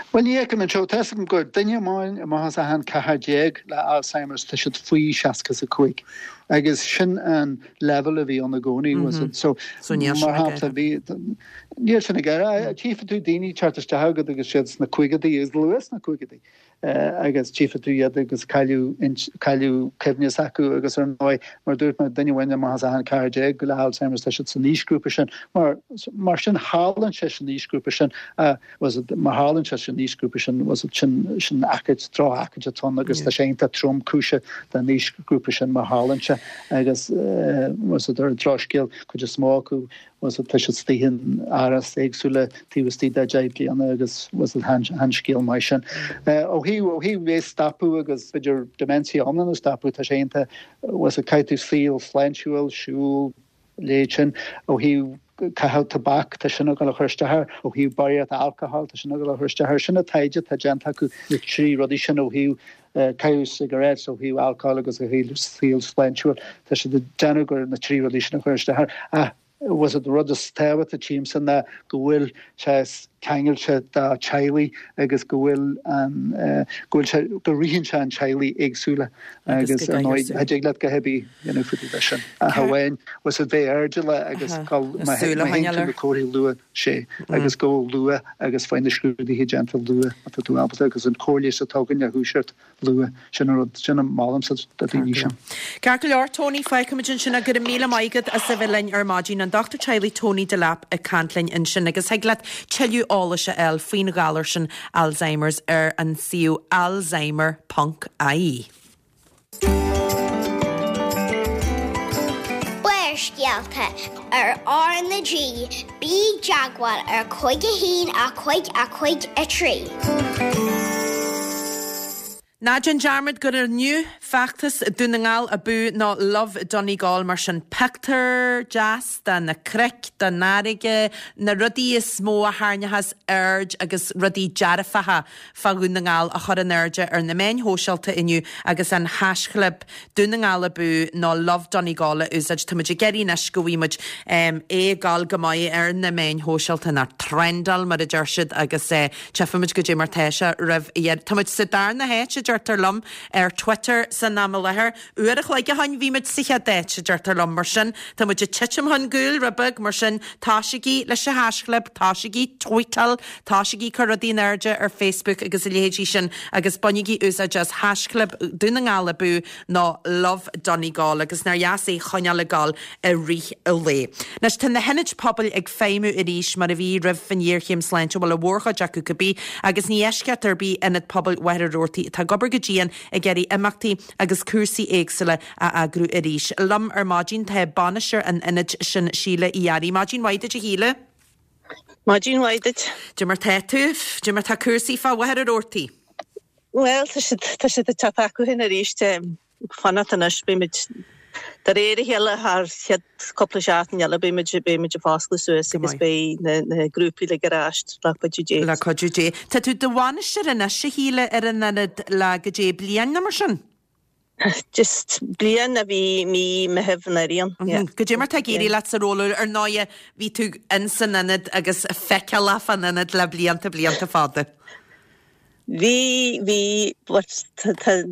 [SPEAKER 4] Bhuel, ní fheicim anseo. Tá fhios agam gur duine amháin amach as achan ceathrar déag le Alzheimer's, tá siad faoi seasca is a cúig. Agus sin an leibhéal a bhí ann i gcónaí, bhfuil fhios a'd. So,
[SPEAKER 1] So níl sin
[SPEAKER 4] mar
[SPEAKER 1] ag
[SPEAKER 4] shampla, bhí, níl sin ag éirí. Tchífidh tú daoine ag teacht isteach agat agus siad sna caogaidí, agus luath sna caogaidí. agus tchífidh tú iad agus cailleadh cailleadh cuimhne s'acu agus ar ndóigh mar dúirt mé duine amháin amach as achan ceathrar déag le Alzheimer's tá siad san aoisghrúpa sin mar mar sin tharlaíonn sé san aoisghrúpa sin bhfuil fhios a'd mar tharlaíonn sé san aoisghrúpa sin bhfuil fhios a'd sin sin aicíd drochaicíd atá ann agus tá sé iontach tromchúiseach don aoisghrúpa sin mar tharlaíonn sé agus bhfuil fhios a'd ar an drochscéal cuid is mó acu Bhfuil fhios a'd tá siad istigh in árais éagsúla taobh istigh de deich bliana agus bhfuil fhios a'd chan scéal maith sin. Ó thaobh ó thaobh é stopadh agus b'fhéidir dementia iomlán a stopadh tá sé iontach bhfuil fhios a'd caithfidh tú saol sláintiúil, siúl, leithéid sin. Ó thaobh caitheamh tobac tá sin ag dul a chur isteach air, ó thaobh barraíocht alcohol tá sin ag dul a chur isteach air. Sin an taighde atá déanta acu na trí rudaí sin ó thaobh caitheamh cigarettes, ó thaobh alcohol agus ó thaobh saol sláintiúil tá siad ag déanamh gur na trí rudaí sin a chur isteach air. Ach bhfuil fhios a'd rud is tábhachtaí tchímse ná go bhfuil sé ceangailte do teaghlaigh agus go bhfuil an go bhfuil sé go ritheann sé in teaghlaigh éagsúla agus ar ndóigh cha dtig leat a dhath ar bith a dhéanamh fá dtaobh de sin ach amháin bhfuil fhios a'd bheith airdeallach agus dul má théann tú na comharthaí luath sé agus go luath agus faigh na scrúduithe déanta luath má tá tú ábalta agus an chóir leighis atá againn a dhúiseacht luath. Sin an rud, sin a molaimse do dhaoine sin.
[SPEAKER 1] Ceart go leor, Tony, fágfaimid ansin é. Go raibh míle maith agat as a bheith linn ar maidin. An Dochtúir Teaghlaigh Tony Delap ag caint linn ansin agus thig leat tuilleadh eolais a fháil faoin ghalar sin Alzheimer's ar an suíomh alzheimer ponc ie.
[SPEAKER 3] Barrscéalta ar R na G, bí i dteagmháil ar cúig a haon a cúig a cúig a trí.
[SPEAKER 1] Ná déan dearmad gur inniu, fiche feachtas Dún na nGall Abú nó Love Donegal mar sin pictiúr deas de na cnoic, den fharraige, na rudaí is mó a tharraingeochas aird agus rudaí dearfacha fá Dhún na nGall a chur in airde ar na meáin shóisialta inniu agus an haischlib Dún na nGall Abú nó Love Donegal a úsáid. Tá muid ag iarraidh anois go bhfaighidh muid é ag gabháil go maith ar na meáin shóisialta nó trendáil mar a deir siad agus tchífimid goidé mar tá sé roimh dheireadh. Tá muid sa darna háit a deirtear liom ar Twitter san am i láthair. Uair a chloig ó shin bhí muid sa chéad áit a deirtear liom mar sin tá muid ag titim chun cúil rud beag mar sin tosaígí leis an haischlib, tosaígí tweetáil, tosaígí cur rudaí in airde ar Facebook agus a leithéidí sin agus bainigí úsáid as haischlib Dún na nGall Abú nó Love Donegal agus nár dheas é choinneáil ag gabháil i rith an lae. Anois tá na hionaid pobail ag feidhmiú arís mar a bhí roimh an ghéarchéim sláinte bhuel an mhórchuid acu cibé agus ní eisceacht ar bith Ionad Pobail Mhachaire Rabhartaigh atá ag obair go dian ag iarraidh imeachtaí agus cúrsaí éagsúla a eagrú arís. Liom ar maidin tá bainisteoir an ionaid sin Síle Uí Fhearraigh. Maidin mhaith duit a Shíle.
[SPEAKER 5] Maidin mhaith duit.
[SPEAKER 1] Goidé mar tá tú, goidé mar tá cúrsaí fá Mhachaire Rabhartaigh.
[SPEAKER 5] Well tá siad tá siad ag teacht acu féin arís fanacht anois beimid de réir a chéile thar chéad cúpla seachtain eile beimid beimid ag foscladh suas agus beidh na na grúpaí uilig ar ais le cuidiú Dé.
[SPEAKER 1] Le cuidiú Dé. Tá tú do bhainisteoir anois a Shíle ar an ionad le goidé bliain nó mar sin?
[SPEAKER 5] Just bliain a bhí mí Mheithimh anuraidh ann. Yeah.
[SPEAKER 1] Goidé mar tá ag éirí leat sa ról ar ndóighe bhí tú in san ionad agus feiceálach fan ionad le blianta blianta fada.
[SPEAKER 5] Bhí bhí but tá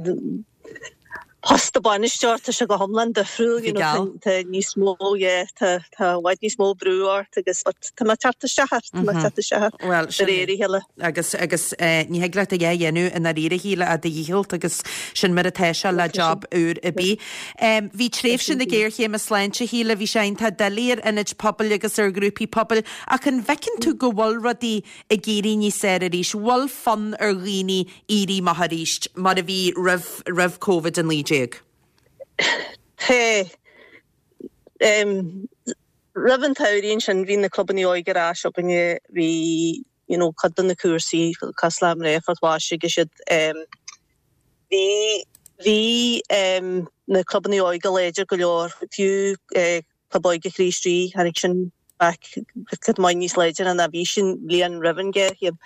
[SPEAKER 5] post bainisteoir tá sé go hiomlán difriúil you know, tá tá níos mó yeah, tá tá i bhfad níos mó brú ort agus but tá mé teacht isteach air, tá mé teacht isteach air
[SPEAKER 1] Well,
[SPEAKER 5] de réir a chéile.
[SPEAKER 1] agus agus eh, ní thig leat a dhath a dhéanamh i ndáiríre a Shíle ach do dhícheall agus sin mar atá sé le job úr ar bith. Um, bhí tréimhse na géarchéime sláinte a Shíle bhí sé iontach doiligh ar ionaid pobail agus ar ghrúpaí pobail ach an bhfeiceann tú go bhfuil rudaí ag éirí níos fearr arís, bhfuil fonn ar dhaoine éirí amach arís mar a bhí roimh roimh Covid a naoi déag.
[SPEAKER 5] Tá um, roimh an tsamhraidh ansin bhí na clubanna óige ar ais againne bhí you know, cuid de na cúrsaí cosúil le Mná Phort Mhaise agus siad um, bhí bhí um, na clubanna óige láidir go leor fiú eh, Club Óige Chríost Rí tháinig sin back cad maith níos láidir ná bhí sin bliain roimh an ghéarchéim.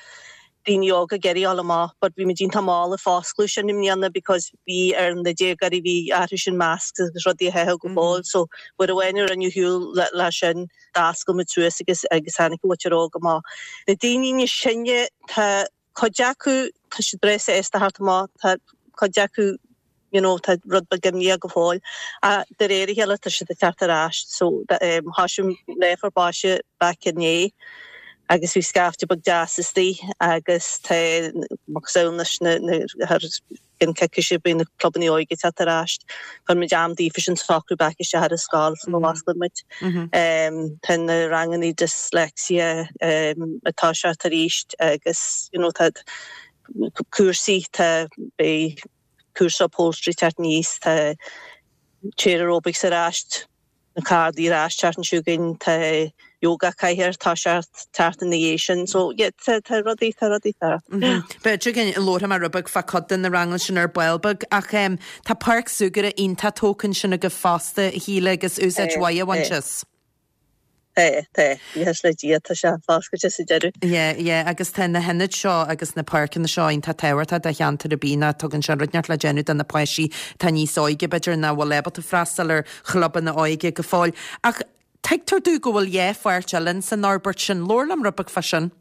[SPEAKER 5] Daoine óga ag éirí amach, but bhí muid iontach mall ag foscladh sin i mbliana because bhí ar na déagóirí bhí orthu sin masks agus rudaí a chaitheamh go fóill, so uair amháin a rinneadh siúl le, le sin d'oscail muid suas agus agus tháinig an mhuintir óg amach. Na daoine níos sine tá cuid acu tá siad breá sásta theacht amach, tá cuid acu you know, tá rud beag imníoch go fóill. A de réir a chéile tá siad ag teacht ar ais, so um, thosaigh Mná Phort Mhaise back inné agus bhí scaifte beag deas istigh agus tá macasamhail leis na na thar an coicíse beidh na clubanna óige ag teacht ar ais. Chuir muid am daofa sin socrú back isteach ar an scoil sula bhfosclaíonn muid. Um, tá na ranganna dyslexia um, atá sé arís agus you know, tá cúrsaí tá beidh cúrsa upholstery teacht aníos tá chair aerobics ar ais na cardaí ar ais teacht chugainn tá yoga cathair tá sé teacht ina dhiaidh sin so yeah, tá tá rudaí tá rudaí tá.
[SPEAKER 1] B'fhéidir go labhróidh muid rud beag fá cuid de na ranganna sin ar ball beag ach um, tá páirc súgartha iontach tógtha ansin agaibh fosta a Shíle agus úsáid mhaith á baint as.
[SPEAKER 5] Tá tá buíochas le Dia tá sé foscailte sa deireadh.
[SPEAKER 1] Yeah, yeah, agus tá na hionaid seo agus na páirceanna seo iontach tábhachtach do cheantar ar bith ná tugann sé rud inteacht le déanamh do na páistí tá níos óige b'fhéidir nach bhfuil ábalta freastal ar chlubanna óige go fóill. Ach tuigtear domh go bhfuil dhá pháirc eile san fhorbairt sin labhair liom rud beag fá sin.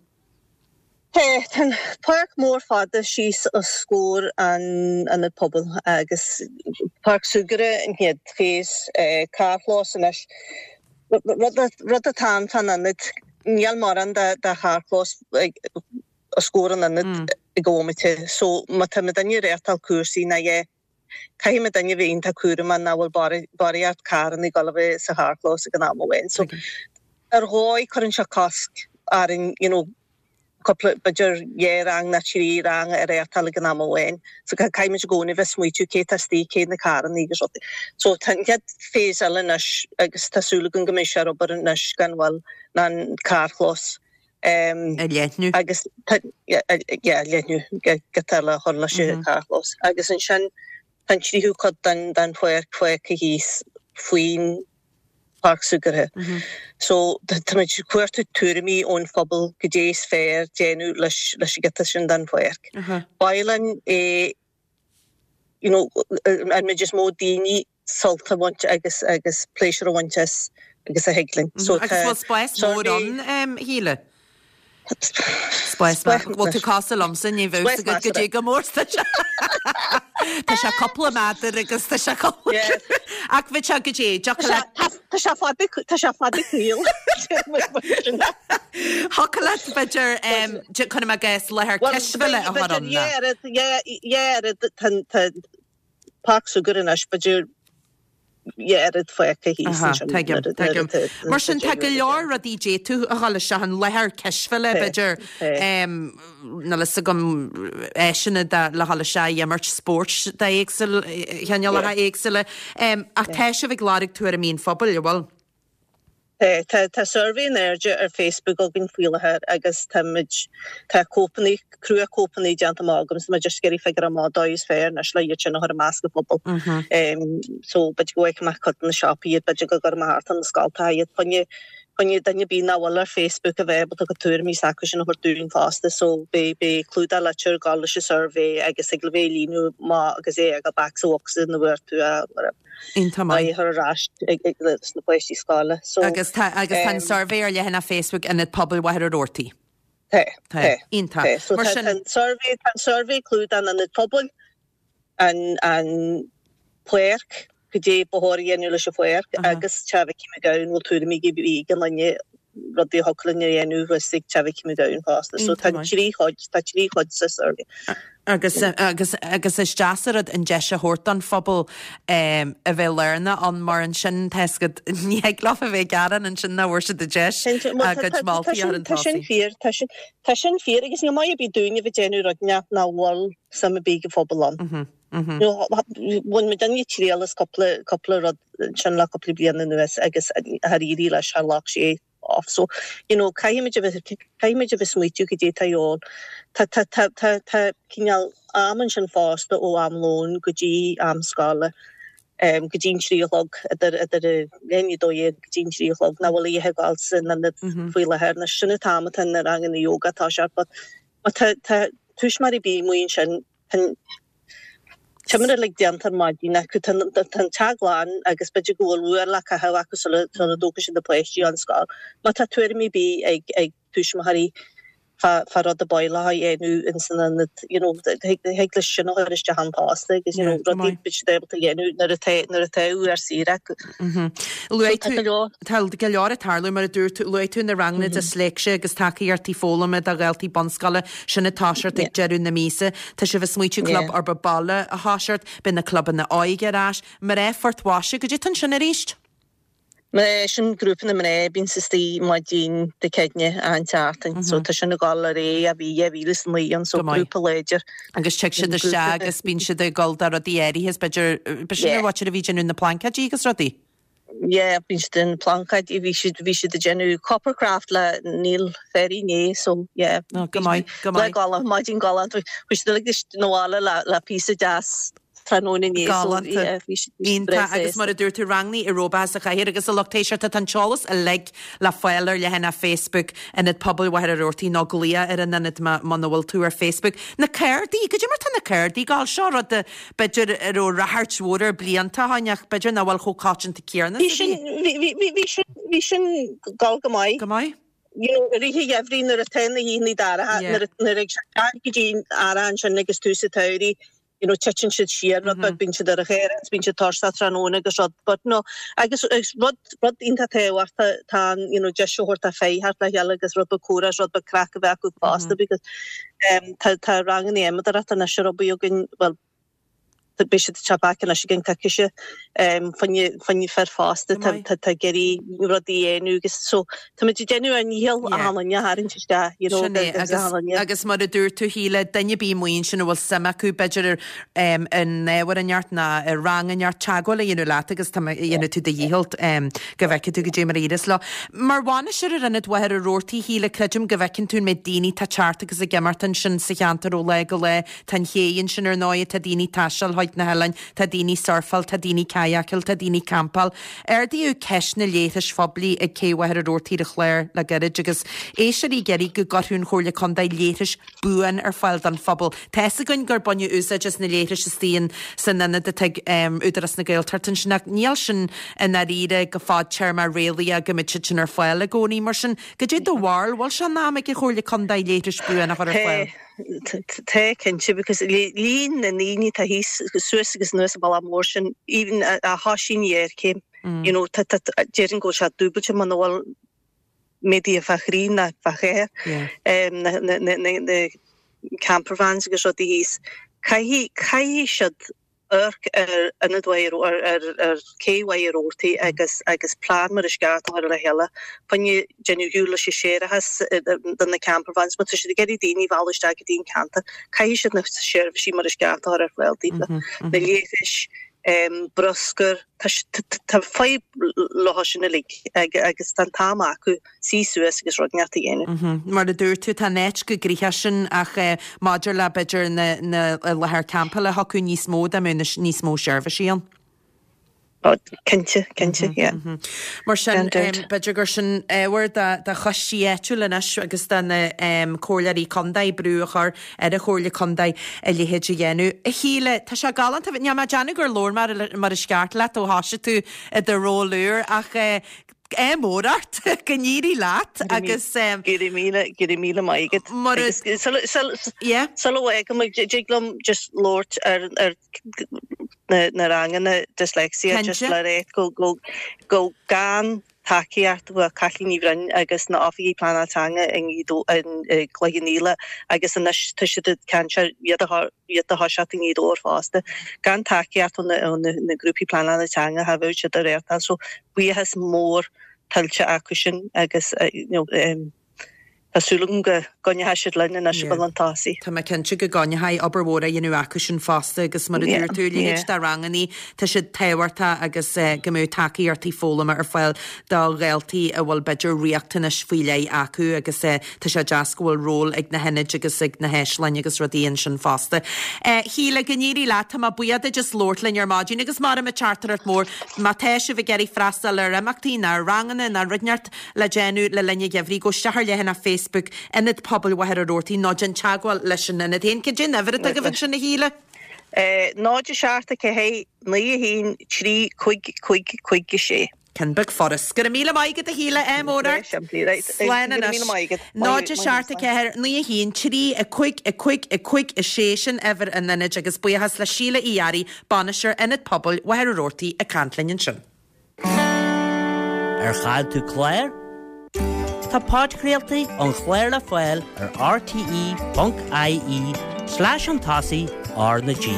[SPEAKER 5] Tá tá páirc mór fada síos os comhair an ionad pobail agus páirc súgartha an chéad phase eh, carrchlós anois. Rud atá ann fán ionad níl mórán de de charrchlós os comhair an ionad i gcónaí so má tá muidinne ag reáchtáil cúrsaí ná é caithfidh muidinne bheith iontach cúramach nach bhfuil barraíocht carranna ag dul a bheith sa charrchlós ag an am amháin. So ar dhóigh cuireann sé cosc orainn you know, cúpla b'fhéidir dhá rang nó trí rang a reáchtáil ag an am amháin. So caithfimid i gcónaí bheith smaoitiú cé tá istigh cé na carranna agus rudaí. So tá an chéad phase eile anois agus tá súil agam go mbeidh sé ar obair anois gan mhoill ná an carrchlós. Um,
[SPEAKER 1] A leathnú.
[SPEAKER 5] agus yeah, leathnú giota le chur leis an carrchlós. Agus ansin Tá an tríú cuid den den pháirc fágtha thíos faoin páirc súgartha. So táimid ag cuartú tuairimí ón phobal goidé is fearr déanamh leis leis an gciota sin den pháirc. Ba mhaith linn é you know an méid is mó daoine sult a bhaint agus agus pléisiúr a bhaint as agus a thig linn.
[SPEAKER 1] So Agus bhfuil spás mór ann, a Shíle? Spás Bhfuil tú cosúil liomsa ní bheadh a fhios agat goidé chomh mór tá sé. Tá sé cúpla méadar agus tá sé cúpla Ach bhí sé goidé
[SPEAKER 5] Tá sé fada tá sé fada caol.
[SPEAKER 1] Thiocfadh leat b'fhéidir cuirim i gcás láthair cispheile a chur ann.
[SPEAKER 5] Tá páirc súgartha anois b'fhéidir dhá oiread fágtha thíos ansin.
[SPEAKER 1] Tuigim, tuigim. Mar sin tá go leor rudaí d'fhéadfadh a dhul isteach an láthair cispheile b'fhéidir níl a fhios agam áiseanna le dhul isteach ag imirt spóirt d'éagsúil chineálacha éagsúla. Ach tá sibh ag lorg tuairimí an phobail, an bhfuil?
[SPEAKER 5] Tá tá suirbhé in airde ar Facebook againn faoi láthair agus táimid tá cóipeanna crua-chóipeanna déanta amach agam so tá mé just ag iarraidh figure amach dóigh is fearr anois le iad sin a chur i measc an phobail. So b'fhéidir go bhfaighidh mé cuid de na siopaí iad, b'fhéidir go gcuirfidh mé thart ar na scoltacha iad. Fá choinne fá choinne duine ar bith nach bhfuil ar Facebook a bheith ábalta a gcuid tuairimí s'acu sin a thabhairt dúinn fosta so beidh beidh clúdach litir ag dul leis an suirbhé agus ag le bheith ag líonadh amach agus é ag back sa bhocsa ina bhfuair tú é.
[SPEAKER 1] Iontach maith.
[SPEAKER 5] a chur ar ais leis na páistí scoile.
[SPEAKER 1] So, Agus tá agus tá an suirbhé ar leathanach Facebook Ionad Pobail Mhachaire Rabhartaigh.
[SPEAKER 5] Tá, tá.
[SPEAKER 1] Iontach.
[SPEAKER 5] Tá. So
[SPEAKER 1] Mar
[SPEAKER 5] tá
[SPEAKER 1] sin
[SPEAKER 5] tá an suirbhé tá an suirbhé clúdach an Ionad Pobail, an an pháirc, goidé ba chóir a dhéanamh leis an pháirc agus Teach Mhicí McGowan bhfuil tuairimí ag ag an duine rudaí a thiocfadh linn a dhéanamh thuas ag Teach Mhicí McGowan fosta. So tá
[SPEAKER 1] Iontach maith.
[SPEAKER 5] trí chuid tá trí chuid sa suirbhé.
[SPEAKER 1] Agus agus agus is deas an rud an deis a thabhairt don phobal a bheith lárnach ann mar ansin tá a fhios agat ní thig leo a bheith ag gearán ansin nach bhfuair siad an deis a gcuid moltaí a chur chun
[SPEAKER 5] Tá sin
[SPEAKER 1] tosaigh.
[SPEAKER 5] fíor tá sin tá sin fíor agus ní maith ar bith dúinn a bheith ag déanamh rud nach nach bhfuil suim ar bith ag an phobal ann. Bhain muid an triail as cúpla cúpla rud ansin le cúpla bliain anuas agus char éirigh leis char ghlac sé off. So, you know, caithfimid a bheith caithfimid a bheith smaoitiú goidé atá ann. Tá tá tá tá tá cineál am ansin fosta ó am lóin go dtí am scoile um, go dtí an trí a chlog idir idir leath i ndiaidh a dó dhéag go dtí an trí a chlog nach bhfuil a dhath ag dul san ionad faoi láthair. Anois sin an t-am atá na ranganna yoga atá sé but má tá tá tuismitheoirí ar bith amuigh ansin tá Timire uilig déanta ar maidin acu, tá an teach glan agus b'fhéidir go bhfuil uair le caitheamh acu sula dtógfaidh siad na páistí ón scoil. Má tá tuairimí ar bith ag ag tuismitheoirí fá fá rud ar bith le dhéanamh ins an ionad, you know, thig leis sin a chur isteach ann fosta agus, you know, rudaí bíonn siad ábalta a dhéanamh nuair atá nuair atá uair saor acu.
[SPEAKER 1] Luaigh tú, tá go leor ag tarlú mar a dúirt tú, luaigh tú na ranganna disléicse agus tacaíochtaí foghlama do dhaltaí bunscoile, sin ag toiseacht ag deireadh na míosa. Tá sibh ag smaoitiú club uirbeach baile a thoiseacht, beidh na clubanna óige ar ais. Mná Phort Mhaise, goidé atá ansin arís?
[SPEAKER 5] Mná, sin grúpa na mná a bíonns istigh maidin Dé Céadaoine achan tseachtain. So tá sin ag dul ar aghaidh ó bhí dhá mhíle is a naoi ann, so grúpa láidir.
[SPEAKER 1] Agus tig siad isteach agus bíonn siad ag dul do rudaí áirithe is b'fhéidir, b'shin an mhuintir a bhí ag déanamh na plaincéidí agus rudaí?
[SPEAKER 5] Yeah, bíonn siad ag déanamh plaincéidí, bhí siad, bhí siad ag déanamh coppercraft le Neil Ferry inné, so yeah.
[SPEAKER 1] Oh, go maith, go maith.
[SPEAKER 5] Lá galánta, maidin galánta, bhí siad uilig 'na bhaile le, le píosa deas tráthnóna inné, so
[SPEAKER 1] Galánta.
[SPEAKER 5] yeah, bhí siad, bhí siad breá
[SPEAKER 1] Iontach, agus
[SPEAKER 5] sásta.
[SPEAKER 1] mar a dúirt tú, ranganna aeróbacha sa chathair agus a lucht éisteachta, tá an t-eolas uilig le fáil ar leathanach Facebook Ionad Pobail Mhachaire Rabhartaigh nó glaoch ar an ionad muna bhfuil tú ar Facebook. Na cárdaí, goidé mar tá na cárdaí ag gabháil, seo rud a b'fhéidir a raibh ráchairt mhór air blianta ó shin ach b'fhéidir nach bhfuil chomh coitianta céanna
[SPEAKER 5] Bhí
[SPEAKER 1] is a
[SPEAKER 5] sin,
[SPEAKER 1] bhí.
[SPEAKER 5] bhí, bhí, bhí sin, bhí sin ag gabháil go maith.
[SPEAKER 1] Go maith.
[SPEAKER 5] You know, i rith an gheimhridh nuair atá na hoícheanna dorcha,
[SPEAKER 1] Yeah.
[SPEAKER 5] nuair a, nuair a ag go dtí an earrach ansin agus tús an tsamhraidh, you know, titeann siad siar rud beag, bíonn siad ar an chéir agus bíonn siad tuirseach tráthnóna agus rud, but no, agus, agus rud, rud iontach tábhachtach tá an, you know, deis a thabhairt do fir theacht le chéile agus rud beag comhrá is rud beag craic a bheith acu fosta because um, tá, tá ranganna adhmadóireachta anois ar obair againn, well, beidh siad ag teacht back anois i gceann coicíse um, fá choinne, fá choinne fir fosta,
[SPEAKER 1] Go
[SPEAKER 5] tá,
[SPEAKER 1] maith.
[SPEAKER 5] tá, tá ag iarraidh rudaí a dhéanamh agus so táimid ag déanamh ár ndícheall
[SPEAKER 1] Yeah.
[SPEAKER 5] achan duine a tharraingt isteach, you know,
[SPEAKER 1] Sin é,
[SPEAKER 5] agus
[SPEAKER 1] agus,
[SPEAKER 5] achan duine.
[SPEAKER 1] agus mar a dúirt tú Shíle, duine ar bith amuigh ansin a bhfuil suim acu b'fhéidir ar um, in ábhar inteacht ná i rang inteacht teagmháil a dhéanamh leat agus tá dhéanfaidh tú do dhícheall um, go bhfeicfidh tú goidé mar a éireos leo. Mar bhainisteoir ar Ionad Mhachaire Rabhartaigh Shíle, creidim go bhfeiceann tú an méid daoine atá ag teacht agus ag imeacht ansin sa cheantar ó lá go lá, Tá an ché ansin ar ndóigh tá daoine ag taisteal chuid na hoileáin, tá daoine surfáil, tá daoine kayakáil, tá daoine campáil. Ardaíodh ceist na leithris phoiblí ag Cé Mhachaire Rabhartaigh ar an chlár le gairid agus éisteoirí ag iarraidh go gcuirfeadh an Chomhairle Contae leithris buan ar fáil don phobal. Tá fhios againn gur baineadh úsáid as na leithris istigh san ionad atá ag Údarás na Gaeltachta ansin ach níl sin i ndáiríre go fadtéarmach réalaíoch go mbeidh siad sin ar fáil i gcónaí. Mar sin, goidé do bharúil, bhfuil sé in am ag an Chomhairle Contae leithris buan a chur ar fáil?
[SPEAKER 5] Tá, cinnte, because líon na ndaoine atá thíos suas agus anuas an bealach mór sin, even a thoisíonn ghéarchéim, you know, déarfainn go bhfuil sé dúbailte muna bhfuil méadaithe fá thrí ná fá cheathair, na camper vans agus rudaí thíos. Caithfidh, caithfidh siad amharc ar ionad Mhachaire, ar, ar, ar cé Mhachaire Rabhartaigh agus, agus plean mar is ceart a chur le chéile. Fá choinne déanamh ar shiúl leis an séarachas do na camper vans, má tá siad ag iarraidh daoine a mhealladh isteach go dtí an ceantar, caithfidh siad na seirbhísí mar is ceart a chur ar fáil daofa. Na leithris, bruscar, tá fadhb leo sin uilig agus tá an t-am acu suí suas agus rud inteacht a dhéanamh.
[SPEAKER 1] Mar a dúirt tú, tá an áit chomh gnoitheach sin ach maidir le b'fhéidir na láthair campála thiocfadh níos mó dá mbeadh níos mó seirbhísí ann.
[SPEAKER 5] Cinnte, cinnte, yeah.
[SPEAKER 1] Mar sin, b'fhéidir gur sin ábhar do choistí áitiúil anois agus do na comhairleoirí contae brú a chur ar an Chomhairle Contae a leithéid a dhéanamh. A Shíle, tá sé galánta, níl mé ag déanamh gur labhair mé mar is ceart leat ó thoisigh tú i do ról úr ach ádh mór ort, go n-éirí leat agus.
[SPEAKER 5] Go raibh míle, go raibh míle maith agat.
[SPEAKER 1] Mar a.
[SPEAKER 5] Yeah. Sula bhfágfaidh mé, dtig liom just labhairt ar ar na na ranganna dyslexia just le rá go go go gan tacaíocht ó Kathleen Ní Bhroin agus na oifigigh pleanáil teanga i gCloich Cheann Fhaola agus anois tá siad ag caint ar iad a iad a thoiseacht i nGaoth Dobhair fosta. Gan tacaíocht ó na na grúpaí pleanála teanga cha bheadh siad ag reáchtáil so buíochas mór tuillte acu sin agus you know Tá súil agam go gcoinneoidh siad linn anois ag dul chun tosaigh.
[SPEAKER 1] Tá mé cinnte go gcoinneoidh, obair mhór á dhéanamh acu sin fosta agus mar a dúirt tú, a leithéid de rangannaí, tá siad tábhachtach agus go mbeadh tacaíochtaí foghlama ar fáil do dhaltaí a bhfuil b'fhéidir riachtanais faoi leith acu agus tá sé deas go bhfuil ról ag na hionaid agus ag na háisleanna agus rudaí ansin fosta. Shíle, go n-éirí leat, tá mé buíoch duit as labhairt linn ar maidin agus mar a teachtaireacht mór má tá sibh ag iarraidh freastal ar imeachtaí ná ar ranganna ná rud inteacht le déanamh le linn an gheimhridh, gabh isteach ar leathanach Facebook Ionad Pobail Mhachaire Rabhartaigh nó déan teagmháil leis an ionad féin. Cad é an uimhir atá agaibh ansin, a Shíle?
[SPEAKER 5] Náid a seacht a ceathair naoi a haon trí cúig cúig cúig a sé.
[SPEAKER 1] Ceann beag furast. Go raibh míle maith agat, a Shíle, ádh mór ort. Slán anois. Náid a seacht a ceathair naoi a haon trí a cúig a cúig a cúig a sé sin uimhir an ionaid agus buíochas le Síle Uí Fhearraigh, Bainisteoir Ionad Pobail Mhachaire Rabhartaigh ag caint linn ansin.
[SPEAKER 6] Ar chaill tú clár? Tá podchraoltaí an chláir le fáil ar rte ponc ie slash chun tosaigh R na G.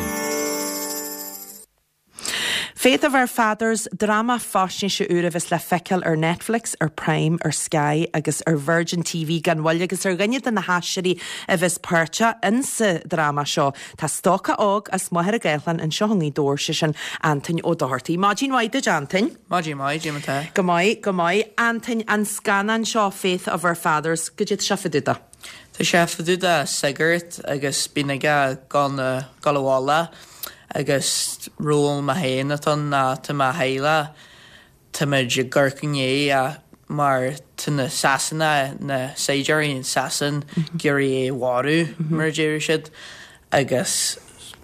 [SPEAKER 1] Faith of Our Fathers, dráma faisnéise úr a bheas le feiceáil ar Netflix, ar Prime, ar Sky agus ar Virgin TV gan mhoill agus ar dhuine de na haisteoirí a bheas páirteach insa dráma seo tá stócach óg as Machaire Gathlán anseo i nGaoth Dobhair, sé sin Antoin Ó Dochartaigh. Maidin mhaith duit, Antoin.
[SPEAKER 7] Maidin mhaith, cad é mar atá.
[SPEAKER 1] Go maith, go maith. Antoin, an scannán seo Faith of Our Fathers, goidé tá sé fá dtaobh de?
[SPEAKER 7] Tá sé fá dtaobh de sagart agus bíonn aige ag dul abhaile agus ról mé féin atá ann ná tá mo theaghlach, táimid i gCorca Dhuibhne mar tá na Sasanaigh, na saighdiúirí in Sasain ag iarraidh é a mharú mar a déarfadh siad agus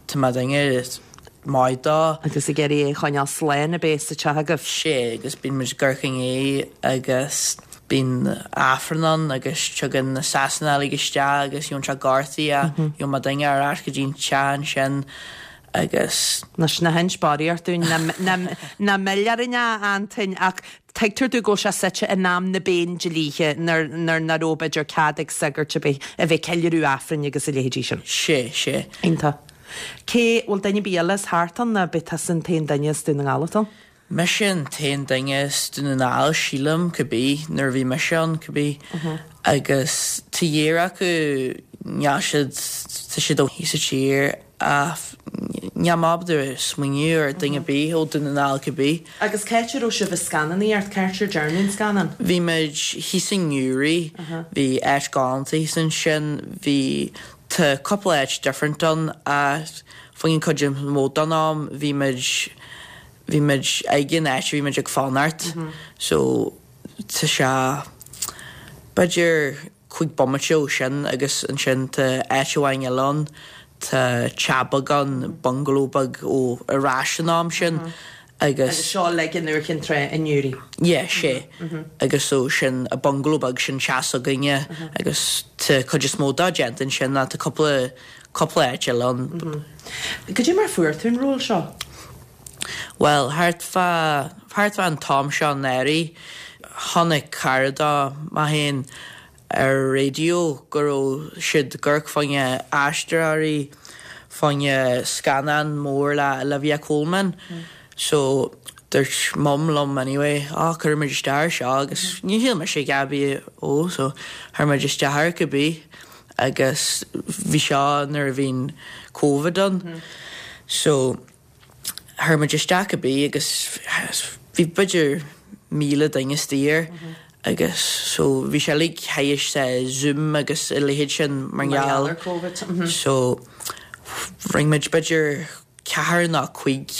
[SPEAKER 7] tá mé duine maith dó.
[SPEAKER 1] Agus ag iarraidh é a choinneáil slán ab é sa teach agaibh?
[SPEAKER 7] Sea, agus bíonn muid i gCorca Dhuibhne agus bíonn Aifreann ann agus tugann na Sasanaigh uilig isteach agus gheobhann sé gortaithe, gheobhann mo duine ar ais go dtí an teach ansin agus.
[SPEAKER 1] Anois ná hinis barraíocht dúinn, ná mill orainn a Antoin, ach tuigtear dom go bhfuil sé suite in am na bPéindlíthe nuair nach raibh b'fhéidir cead ag sagairt a bheith a bheith ag ceiliúradh Aifrinn agus a leithéidí sin.
[SPEAKER 7] Sea, sea.
[SPEAKER 1] Iontach. Cé, bhfuil duine ar bith eile as thart ann nó ab é tusa an t-aon duine as Dún na nGall atá ann?
[SPEAKER 7] Mise an t-aon duine as Dún na nGall, sílim, cibé, nuair a bhí mise ann, cibé. Agus tá iar acu, níl siad, tá siad ó thíos sa tír ach níl mé ábalta smaoineamh ar duine ar bith ó Dún na nGall cibé.
[SPEAKER 1] Agus cá háit a raibh sibh ag scannánaíocht, cá háit ar dearnadh an scannán?
[SPEAKER 7] Bhí muid thíos i nGiúraí, bhí áit galánta thíos ansin, bhí, tá cúpla áit different ann ach Faoin cuid is mó den am bhí muid bhí muid ag an áit bhí muid ag fanacht so tá sé b'fhéidir cúig bomaite ó sin agus ansin tá áit amháin eile ann tá teach beag ann bungalow beag ó ar ais an am sin agus
[SPEAKER 1] Agus seo like in Iúr Chinn Trá i nDoirí.
[SPEAKER 7] Yeah, sé agus so sin a bungalow beag sin teach s'againne agus tá cuid is mó dá déanta ansin ná tá cúpla cúpla áit eile ann.
[SPEAKER 1] Cad é mar fuair tú an ról seo?
[SPEAKER 7] Well, thart fá thart fá an t-am seo anuraidh chonaic cara de mo féin ar raidió go raibh siad ag amharc fá choinne aisteoirí fá choinne scannán mór le Olivia Colman. So dúirt mum liom anyway, á cuirfidh muid isteach air seo agus ní shíl mise a bhí ó so chuir muid isteach air cibé agus bhí seo nuair a bhíonn COVID ann. So chuir muid isteach cibé agus bhí b'fhéidir míle duine istigh air agus so bhí sé like théis Zoom agus a leithéid sin mar gheall
[SPEAKER 1] ar COVID.
[SPEAKER 7] So rinne muid b'fhéidir ceathair nó cúig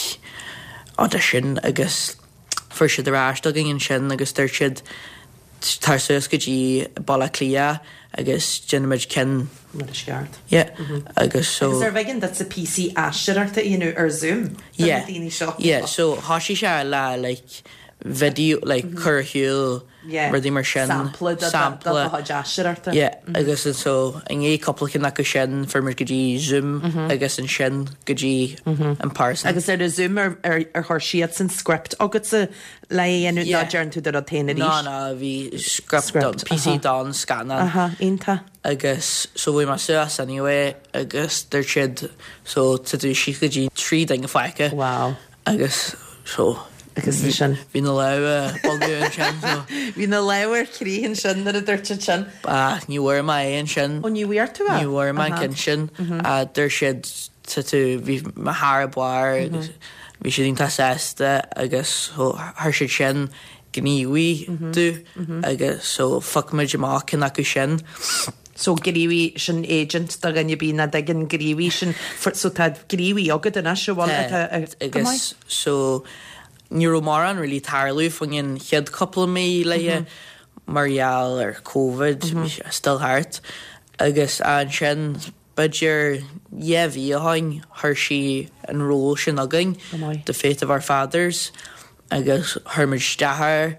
[SPEAKER 7] audition agus fuair siad ar ais againn ansin agus dúirt siad tar suas go dtí Baile Átha Cliath agus déanfaimid ceann
[SPEAKER 1] Mar is ceart.
[SPEAKER 7] Yeah agus so
[SPEAKER 1] Agus arbh éigean duit píosaí aisteoireachta a dhéanamh ar Zoom do na daoine seo.
[SPEAKER 7] Yeah, so thosaigh sé le like video like cur ar shiúl
[SPEAKER 1] Yeah.
[SPEAKER 7] rudaí mar sin.
[SPEAKER 1] Sampla de- de-
[SPEAKER 7] Sampla.
[SPEAKER 1] de do chuid aisteoireachta.
[SPEAKER 7] Yeah, agus an so i ndiaidh cúpla ceann acu sin fuair muid go dtí Zoom agus ansin go dtí in person.
[SPEAKER 1] Agus ar a Zoom ar ar ar chuir siad an script agatsa le dhéanamh
[SPEAKER 7] Yeah.
[SPEAKER 1] ná déan tú do rud féin
[SPEAKER 7] Ná
[SPEAKER 1] arís.
[SPEAKER 7] ná bhí script
[SPEAKER 1] Script,
[SPEAKER 7] píosaí
[SPEAKER 1] aha.
[SPEAKER 7] don scannán.
[SPEAKER 1] Aha, iontach.
[SPEAKER 7] Agus so bhí mé suas anyway agus dúirt siad so tá tú síos go dtí trí duine fágtha.
[SPEAKER 1] Wow.
[SPEAKER 7] Agus so
[SPEAKER 1] Agus sin.
[SPEAKER 7] Bhí na lámha bogadh ansin so.
[SPEAKER 1] Bhí na lámha ar crith ansin nuair a dúirt siad sin.
[SPEAKER 7] Ah, ní bhfuair mé é ansin.
[SPEAKER 1] Ó ní bhfuair tú é?
[SPEAKER 7] Ní bhfuair mé an ceann sin. Ah, dúirt siad tá tú bhí mé thar barr agus bhí siad iontach sásta agus so chuir siad sin gníomhaigh tú agus so phioc muid amach ceann acu sin.
[SPEAKER 1] So gníomhaí sin agent do dhuine ar bith nach dtuigeann gníomhaí sin so tá gníomhaí agat anois a bhfuil atá go maith.
[SPEAKER 7] Agus so ní raibh mórán really tarlú faoin an chéad cúpla mí léithe mar gheall ar COVID bhí sé still thart agus ansin b'fhéidir dhá mhí ó shin chuir sí an ról sin againn
[SPEAKER 1] Go maith.
[SPEAKER 7] The Faith of Our Fathers agus chuir muid isteach air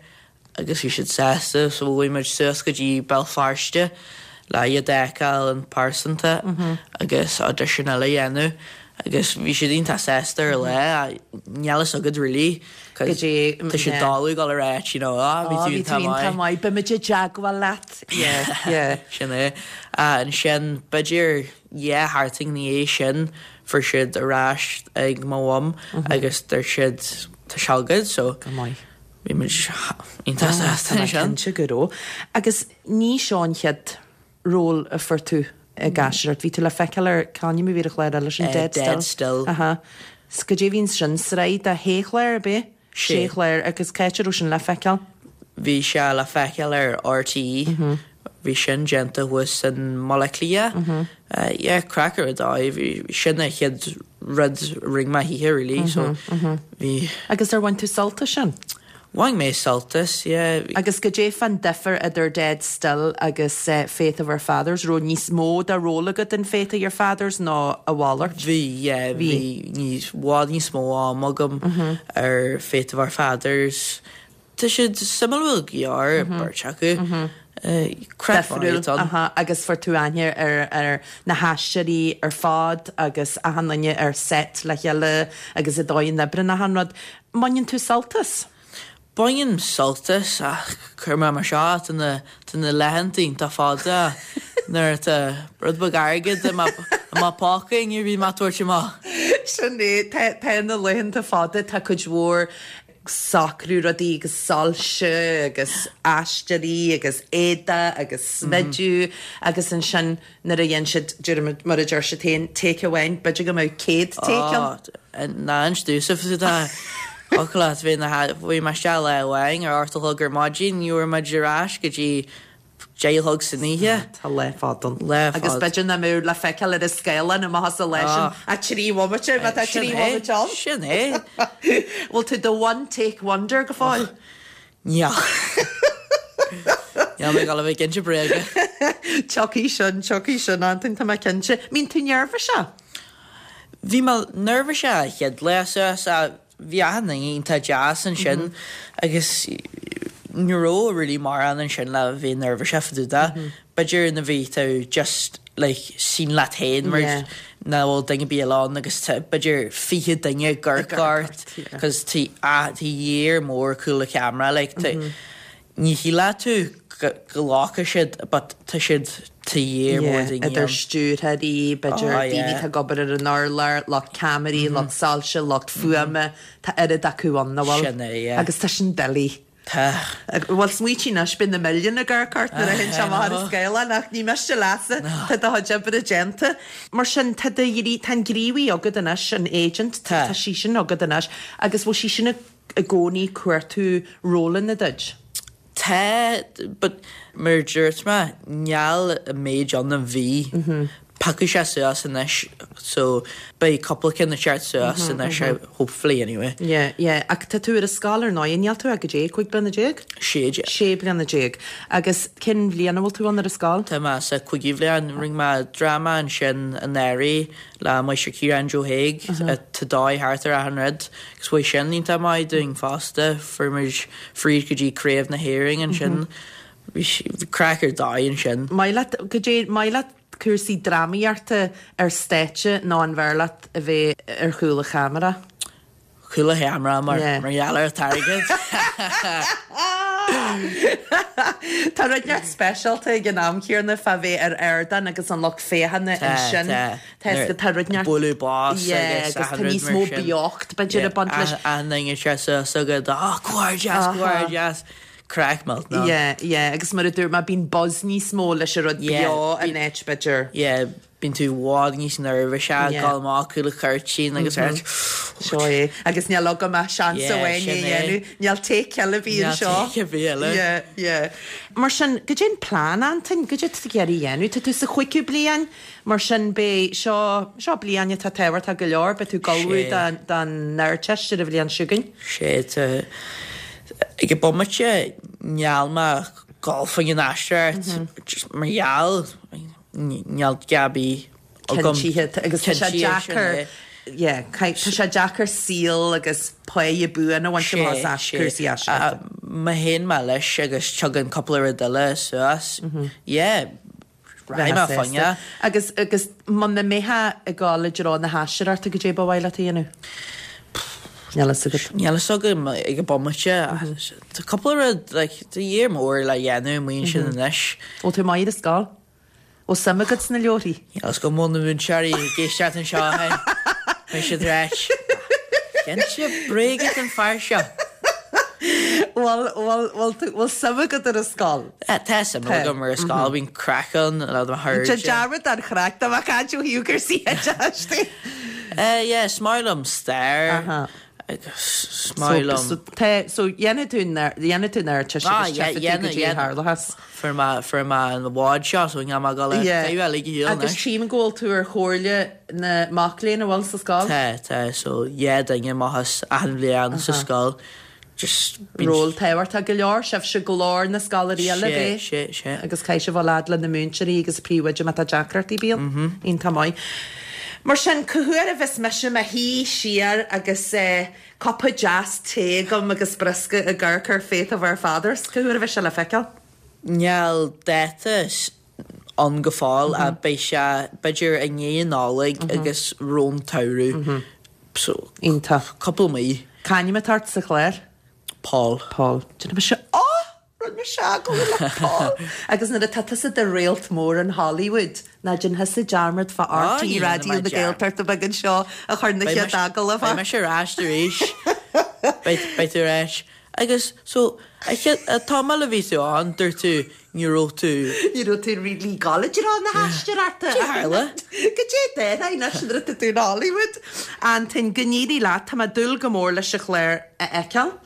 [SPEAKER 7] agus bhí siad sásta so bhí muid suas go dtí Béal Feirste le iad a fheiceáil in pearsanta agus audition eile a dhéanamh agus bhí siad iontach sásta ar lá níl a fhios agat really
[SPEAKER 1] Go dtí
[SPEAKER 7] Tá siad dáú go rá you know, ah, bhí
[SPEAKER 1] Á,
[SPEAKER 7] tú
[SPEAKER 1] bhí tú
[SPEAKER 7] iontach
[SPEAKER 1] iontach
[SPEAKER 7] maith.
[SPEAKER 1] maith, beimid i dteagmháil leat. Yeah, yeah.
[SPEAKER 7] Sin é. Ah, ansin b'fhéidir dhá sheachtain ina dhiaidh sin fuair siad ar ais ag mo mham agus dúirt siad tá sé agat so
[SPEAKER 1] Go maith.
[SPEAKER 7] bhí muid iontach sásta
[SPEAKER 1] Tá
[SPEAKER 7] ansin.
[SPEAKER 1] cinnte go raibh. Agus ní seo an chéad ról a fuair tú ag aisteoireacht. Bhí tú le feiceáil ar c'ainm a bhí ar an chlár eile sin
[SPEAKER 7] Eh,
[SPEAKER 1] Dead Still.
[SPEAKER 7] Dead Still.
[SPEAKER 1] Aha. 'S cad é bhíonn sin sraith de shé chlár ar bith?
[SPEAKER 7] Sé.
[SPEAKER 1] Sé chlár agus cá raibh sin le feiceáil?
[SPEAKER 7] Bhí sé le feiceáil ar RTÉ. Bhí sin déanta thuas in Baile Átha Cliath. Uh, yeah, craic ar dóigh, bhí sin an chéad rud a rinne mé thithe really, so bhí
[SPEAKER 1] Agus ar bhain tú sult as sin?
[SPEAKER 7] Bhain mé sult as, yeah.
[SPEAKER 1] Agus cad é fán difear idir Dead Still agus uh, Faith of Our Fathers, raibh níos mó de ról agat in Faith of Your Fathers ná a mhalairt?
[SPEAKER 7] Bhí, yeah, bhí níos bhfad níos mó am agam ar Faith of Our Fathers. Tá siad suimiúil go leor beirt acu. Craic
[SPEAKER 1] Difriúil,
[SPEAKER 7] ann.
[SPEAKER 1] aha, agus fuair tú aithne ar, ar na haisteoirí ar fad agus achan duine ar set le chéile agus i dóigh an oibre achan rud. Baineann tú sult as?
[SPEAKER 7] Bainim sult as ach chuir mé mar seo tá na tá na laethanta iontach fada nuair atá rud beag airgid i mo phóca ní bhí má tuairt amach.
[SPEAKER 1] Sin é tá tá na laethanta fada tá cuid mhór socrú rudaí agus soilse agus aisteoirí agus éide agus smidiú agus ansin nuair a dhéan siad deir mar a deir siad féin take amháin, b'fhéidir go mbeadh céad take ann.
[SPEAKER 7] Ná an stúsah tá Ochla bhí na bhí mar se le bhain ar ortal thug ar maidin, ní bhfuair muid ar ais go dtí deich a chlog san oíche.
[SPEAKER 1] Tá lá fada ann.
[SPEAKER 7] Lá fada.
[SPEAKER 1] Agus b'fhéidir nach mbeidh le feiceáil ar an scáileán amach as an lá sin ach trí bhomaite, má tá trí bhomaite ann.
[SPEAKER 7] Sin é.
[SPEAKER 1] Bhfuil tú do one take wonder go fóill?
[SPEAKER 7] Níl. Níl mé ag dul a bheith ag inse bréige.
[SPEAKER 1] Tiocfaidh sin, tiocfaidh sin, Antain, tá mé cinnte. Mbíonn tú neirbhíseach?
[SPEAKER 7] Bhí mé neirbhíseach an chéad lá suas ach bhí achan duine iontach deas ansin agus ní raibh really mórán ansin le bheith neirbhíseach fá dtaobh de. B'fhéidir nuair a bhí tú just like scene leat féin mar
[SPEAKER 1] Yeah.
[SPEAKER 7] nach bhfuil duine ar bith eile ann agus tá b'fhéidir fiche duine ag amharc ort cos tá tá léar mór cúl an cheamara like tá ní shílfeadh tú go nglacfaidh siad but tá siad tá léar mór
[SPEAKER 1] Yeah,
[SPEAKER 7] daoine
[SPEAKER 1] idir
[SPEAKER 7] ann.
[SPEAKER 1] stiúrthóirí, b'fhéidir
[SPEAKER 7] Oh,
[SPEAKER 1] daoine
[SPEAKER 7] yeah.
[SPEAKER 1] atá ag obair ar an urlár, lucht ceamaraí, lucht soilse, lucht fuaime, tá oiread acu ann, nach bhfuil?
[SPEAKER 7] Sin é, yeah.
[SPEAKER 1] Agus tá sin doiligh.
[SPEAKER 7] Tá.
[SPEAKER 1] Bhuel, smaoitigh anois, beidh na milliúin ag amharc ort nuair a théann sé amach ar an scáileán ach ní miste leatsa, tá do chuid oibre déanta. Mar sin, tá do ghrí- tá an gníomhaí agat anois, an agent,
[SPEAKER 7] Tá.
[SPEAKER 1] tá sí sin agat anois, agus bhfuil sí sin i i gcónaí ag cuartú rólanna duit?
[SPEAKER 7] Tá, but mar a dúirt mé, níl an méid ann a bhí. Piocfaidh sé suas anois, so beidh cúpla ceann ag teacht suas anois, hopefully anyway.
[SPEAKER 1] Yeah, yeah. Ach tá tú ar an scoil ar ndóigh, níl tú ach goidé, cúig bliana déag?
[SPEAKER 7] Sé déag.
[SPEAKER 1] Sé bliana déag. Agus cén bhliain a bhfuil tú ann ar an scoil?
[SPEAKER 7] Tá mé sa cúigiú bhliain, rinne mé dráma ansin anuraidh le Máistir Ciarán Joe Haig, tá dóigh thart ar achan rud, agus bhí sin iontach maith dúinn fosta, fuair muid fríd go dtí Craobh na hÉireann ansin, bhí bhí craic ar dóigh ansin.
[SPEAKER 1] Maith leat, goidé, maith leat cúrsaí drámaíochta ar stáitse nó an bhfearr leat a bheith ar chúl an cheamara?
[SPEAKER 7] Cúl an cheamara mar
[SPEAKER 1] Yeah.
[SPEAKER 7] mar gheall ar an t-airgead.
[SPEAKER 1] Tá rud inteacht speisialta ag an am céanna fá bheith ar ardán agus an lucht féachana
[SPEAKER 7] Tá,
[SPEAKER 1] ansin.
[SPEAKER 7] tá.
[SPEAKER 1] Tá tá rud inteacht
[SPEAKER 7] Bualadh bos
[SPEAKER 1] Yeah,
[SPEAKER 7] agus
[SPEAKER 1] agus
[SPEAKER 7] achan
[SPEAKER 1] tá
[SPEAKER 7] rud
[SPEAKER 1] níos
[SPEAKER 7] mar
[SPEAKER 1] mó
[SPEAKER 7] sin.
[SPEAKER 1] beocht b'fhéidir ag baint leis.
[SPEAKER 7] Achan duine sé suas agat, "Á, comhghairdeas, comhghairdeas." Craic millteanach.
[SPEAKER 1] Yeah, yeah, agus mar a dúirt mé bíonn buzz níos mó leis an rud
[SPEAKER 7] Yeah,
[SPEAKER 1] beo
[SPEAKER 7] bí-
[SPEAKER 1] in áit b'fhéidir.
[SPEAKER 7] Yeah, bíonn tú i bhfad níos neirbhísí,
[SPEAKER 1] Yeah.
[SPEAKER 7] gabháil amach cúl an chuirtín agus mm
[SPEAKER 1] Seo é. Agus níl agam ach seans
[SPEAKER 7] Yeah,
[SPEAKER 1] amháin
[SPEAKER 7] sin
[SPEAKER 1] é
[SPEAKER 7] é.
[SPEAKER 1] dhéanamh. Níl take eile bhí
[SPEAKER 7] Níl
[SPEAKER 1] anseo.
[SPEAKER 7] take ar bith eile.
[SPEAKER 1] Yeah, yeah. Mar sin, goidé an plean Antain, goidé tá tú ag iarraidh a dhéanamh, tá tú sa chúigiú bliain, mar sin beidh seo seo bliain atá tábhachtach go leor, beidh tú ag ullmhú
[SPEAKER 7] Sé.
[SPEAKER 1] don don Ardteist ar an bhliain seo chugainn.
[SPEAKER 7] Sé tá ag an bomaite níl mé ag gabháil faoin aisteoireacht just mar gheall níl Gabi agam.
[SPEAKER 1] Cinntithe agus tá sé
[SPEAKER 7] Cinntithe, sin
[SPEAKER 1] deacair
[SPEAKER 7] é.
[SPEAKER 1] Yeah, tá sé deacair saol agus páighe buan a bhaint amach as cúrsaí aisteoireachta.
[SPEAKER 7] Má théann mé leis agus tugann cúpla rud eile suas. Yeah, rachaidh mé fá choinne.
[SPEAKER 1] Agus agus muna mbeifeá ag gabháil i dtreo na haisteoireachta goidé ba mhaith leat a dhéanamh. Níl a fhios agat.
[SPEAKER 7] Níl a fhios agam ag an bomaite. Tá cúpla rud like, tá léar mór le dhéanamh amuigh ansin anois.
[SPEAKER 1] Ó tú maith ar an scoil? Ó suim agat sna leabharthaí?
[SPEAKER 7] Níl a fhios agam an bhfuil na múinteoirí ag éisteacht anseo. Beidh siad ráit. Cinnte bréige an fear seo.
[SPEAKER 1] Bhfuil bhfuil bhfuil tú- bhfuil suim agat ar an scoil?
[SPEAKER 7] Tá suim agam ar an scoil bíonn craic ann le do
[SPEAKER 1] Tá
[SPEAKER 7] chairde.
[SPEAKER 1] dearmad ar chraic tá caint ó thaobh cúrsaí oideachais.
[SPEAKER 7] Eh, yeah, is maith liom stair.
[SPEAKER 1] Aha.
[SPEAKER 7] Agus is maith liom.
[SPEAKER 1] So tá so dhéanfaidh tú dhéanfaidh tú an Ardteist
[SPEAKER 7] Ah,
[SPEAKER 1] agus
[SPEAKER 7] yeah,
[SPEAKER 1] tchífidh tú
[SPEAKER 7] dhéanfaidh,
[SPEAKER 1] goidé
[SPEAKER 7] dhéanfaidh.
[SPEAKER 1] tharlachas.
[SPEAKER 7] Fuair mé fuair mé an bhád seo so níl mé ag gabháil
[SPEAKER 1] Yeah.
[SPEAKER 7] eile go hiall
[SPEAKER 1] Agus
[SPEAKER 7] anois.
[SPEAKER 1] tchím go bhfuil tú ar chomhairle na mac léinn a bhfuil sa scoil?
[SPEAKER 7] Tá tá so yeah duine amach as achan bhliain sa scoil. Just bíonn-
[SPEAKER 1] Ról tábhachtach go leor, sibhse glór na scoláirí eile
[SPEAKER 7] Sé,
[SPEAKER 1] bé.
[SPEAKER 7] sé, sé.
[SPEAKER 1] Agus caithfidh sibh a lead le na múinteoirí agus príomhoide má tá deacrachtaí bíonn. Iontach maith. Mar sin cá huair a bheas mise i mo shuí siar agus eh, cupa deas tae agam agus briosca ag amharc ar Faith of Our Fathers, cá huair a bheas sé le feiceáil?
[SPEAKER 7] Níl dáta s- ann go fóill a beidh sé b'fhéidir i ndiaidh an Nollaig agus roimh an tsamhradh. So
[SPEAKER 1] Iontach.
[SPEAKER 7] cúpla mí.
[SPEAKER 1] C'ainm atá ort sa chlár?
[SPEAKER 7] Paul.
[SPEAKER 1] Paul. Déanfaidh mise Ó! Rinne mise agallamh le Paul. Agus nuair atá tusa i do réalt mór in Hollywood, ná déan thusa dearmad fá
[SPEAKER 7] Á,
[SPEAKER 1] R T
[SPEAKER 7] ní
[SPEAKER 1] Raidió
[SPEAKER 7] dhéanfaidh
[SPEAKER 1] na
[SPEAKER 7] mé dearmad.
[SPEAKER 1] Gaeltachta beag anseo a chur na
[SPEAKER 7] Beidh
[SPEAKER 1] chéad
[SPEAKER 7] mise-
[SPEAKER 1] agallamh
[SPEAKER 7] beidh
[SPEAKER 1] ort.
[SPEAKER 7] mise ar ais arís. Beidh beidh tú ar ais. Agus so Tamall a bhí tú ann, dúirt tú ní raibh tú.
[SPEAKER 1] Ní raibh tú really college ar na haisteoireachta.
[SPEAKER 7] Tharla.
[SPEAKER 1] Go dé dé anois nuair atá tú in Hollywood. Antain go n-éirí leat, tá mé ag dúil go mór leis an chlár a fheiceáil.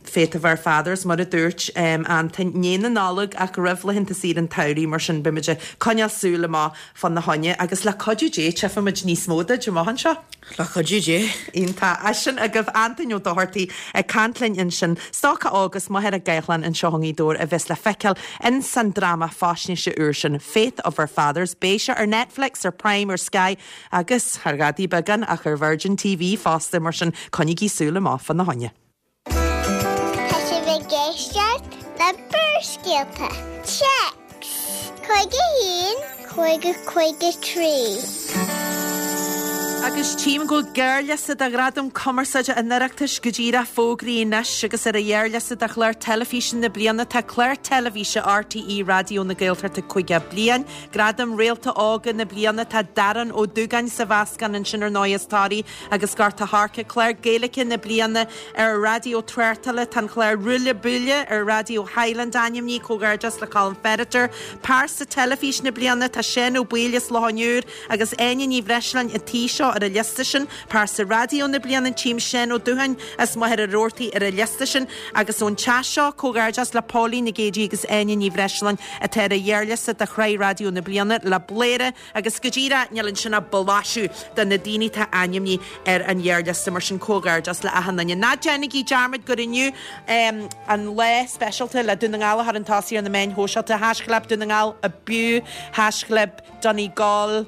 [SPEAKER 1] Faith of Our Fathers mar a dúirt um, Antain i ndiaidh na Nollag ach roimh laethanta saoire an tsamhraidh mar sin beimid ag coinneáil súil amach fána choinne agus le cuidiú Dé tchífimid níos mó duit amach anseo.
[SPEAKER 7] Le cuidiú Dé.
[SPEAKER 1] Iontach. É sin agaibh Antain Ó Dochartaigh ag caint linn ansin stócach óg as Machaire Gathlán anseo i nGaoth Dobhair a bheas le feiceáil in san dráma faisnéise úr sin Faith of Our Fathers, beidh sé ar Netflix ar Prime ar Sky agus ar ghadaí beagán ach ar Virgin TV fosta mar sin coinnígí súil amach fána choinne.
[SPEAKER 3] Tá sibh ag éisteacht le Barrscéalta. Téacs. Cúig a haon, cúig a cúig a trí.
[SPEAKER 1] Agus tchím go bhfuil gearrliosta de Ghradam Cumarsáide an Oireachtais go díreach fógraithe anois agus ar a ghearrliosta de chlár teilifíse na bliana tá clár teilifíse RTÉ Raidió na Gaeltachta caoga bliain, Gradam Réalta Óga na bliana tá Darren Ó Dúgáin sa mheascán ansin ar ndóigh as Toraigh agus Gort a' Choirce clár Gaeilge na bliana ar Raidió Tráchtála tá an clár Ruaille Buaille ar Raidió Highland ainmnithe comhghairdeas le Colin Ferriter, Pearsa Teilifís na bliana tá Seán Ó Baoill as Loch an Iúir agus Áine Ní Bhreisleáin an tí seo ar a liosta sin, Pearsa Raidió na bliana tchím Seán Ó Dúthain as Machaire Rabhartaigh ar a liosta sin agus ón teach seo comhghairdeas le Pauline Nic Géadaigh agus Áine Ní Bhreisleáin atá ar a ghearrliosta de Shraith Raidió na bliana le Bladhaire agus go díreach níl ansin ach blaiseadh de na daoine atá ainmnithe ar an ghearrliosta mar sin comhghairdeas le achan duine. Ná déanaigí dearmad gur inniu um, an lá speisialta le Dún na nGall a chur chun tosaigh ar na meáin shóisialta haischlib Dún na nGall abú haischlib Donegal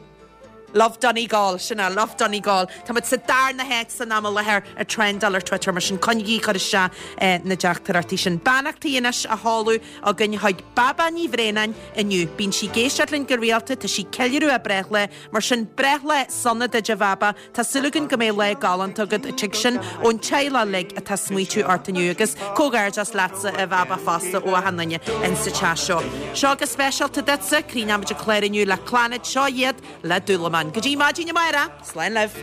[SPEAKER 1] Love Donegal sin é Love Donegal Tá muid sa darna háit san am i láthair ar trendáil ar Twitter mar sin coinnigí chur isteach eh, na dteachtaireachtaí sin. Beannachtaí anois á sheoladh againn chuig Baba Ní Bhréanainn inniu. Bíonn sí ag éisteacht linn go rialta tá sí ag ceiliúradh a breithlá, mar sin breithlá sona duit a Bhaba Tá súil againn go mbeidh lá galánta agat an tigh sin ón teaghlach uilig atá ag smaoitiú ort inniu agus comhghairdeas leatsa a Bhaba fosta ó achan duine in sa teach seo. Seo go speisialta duitse críochnaímid an clár inniu le Clannad seo iad le Dúlamán. Go dtí maidin amárach, Slán libh.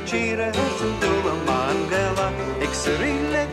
[SPEAKER 8] tíre san dúlamán Gaelach ag suirí le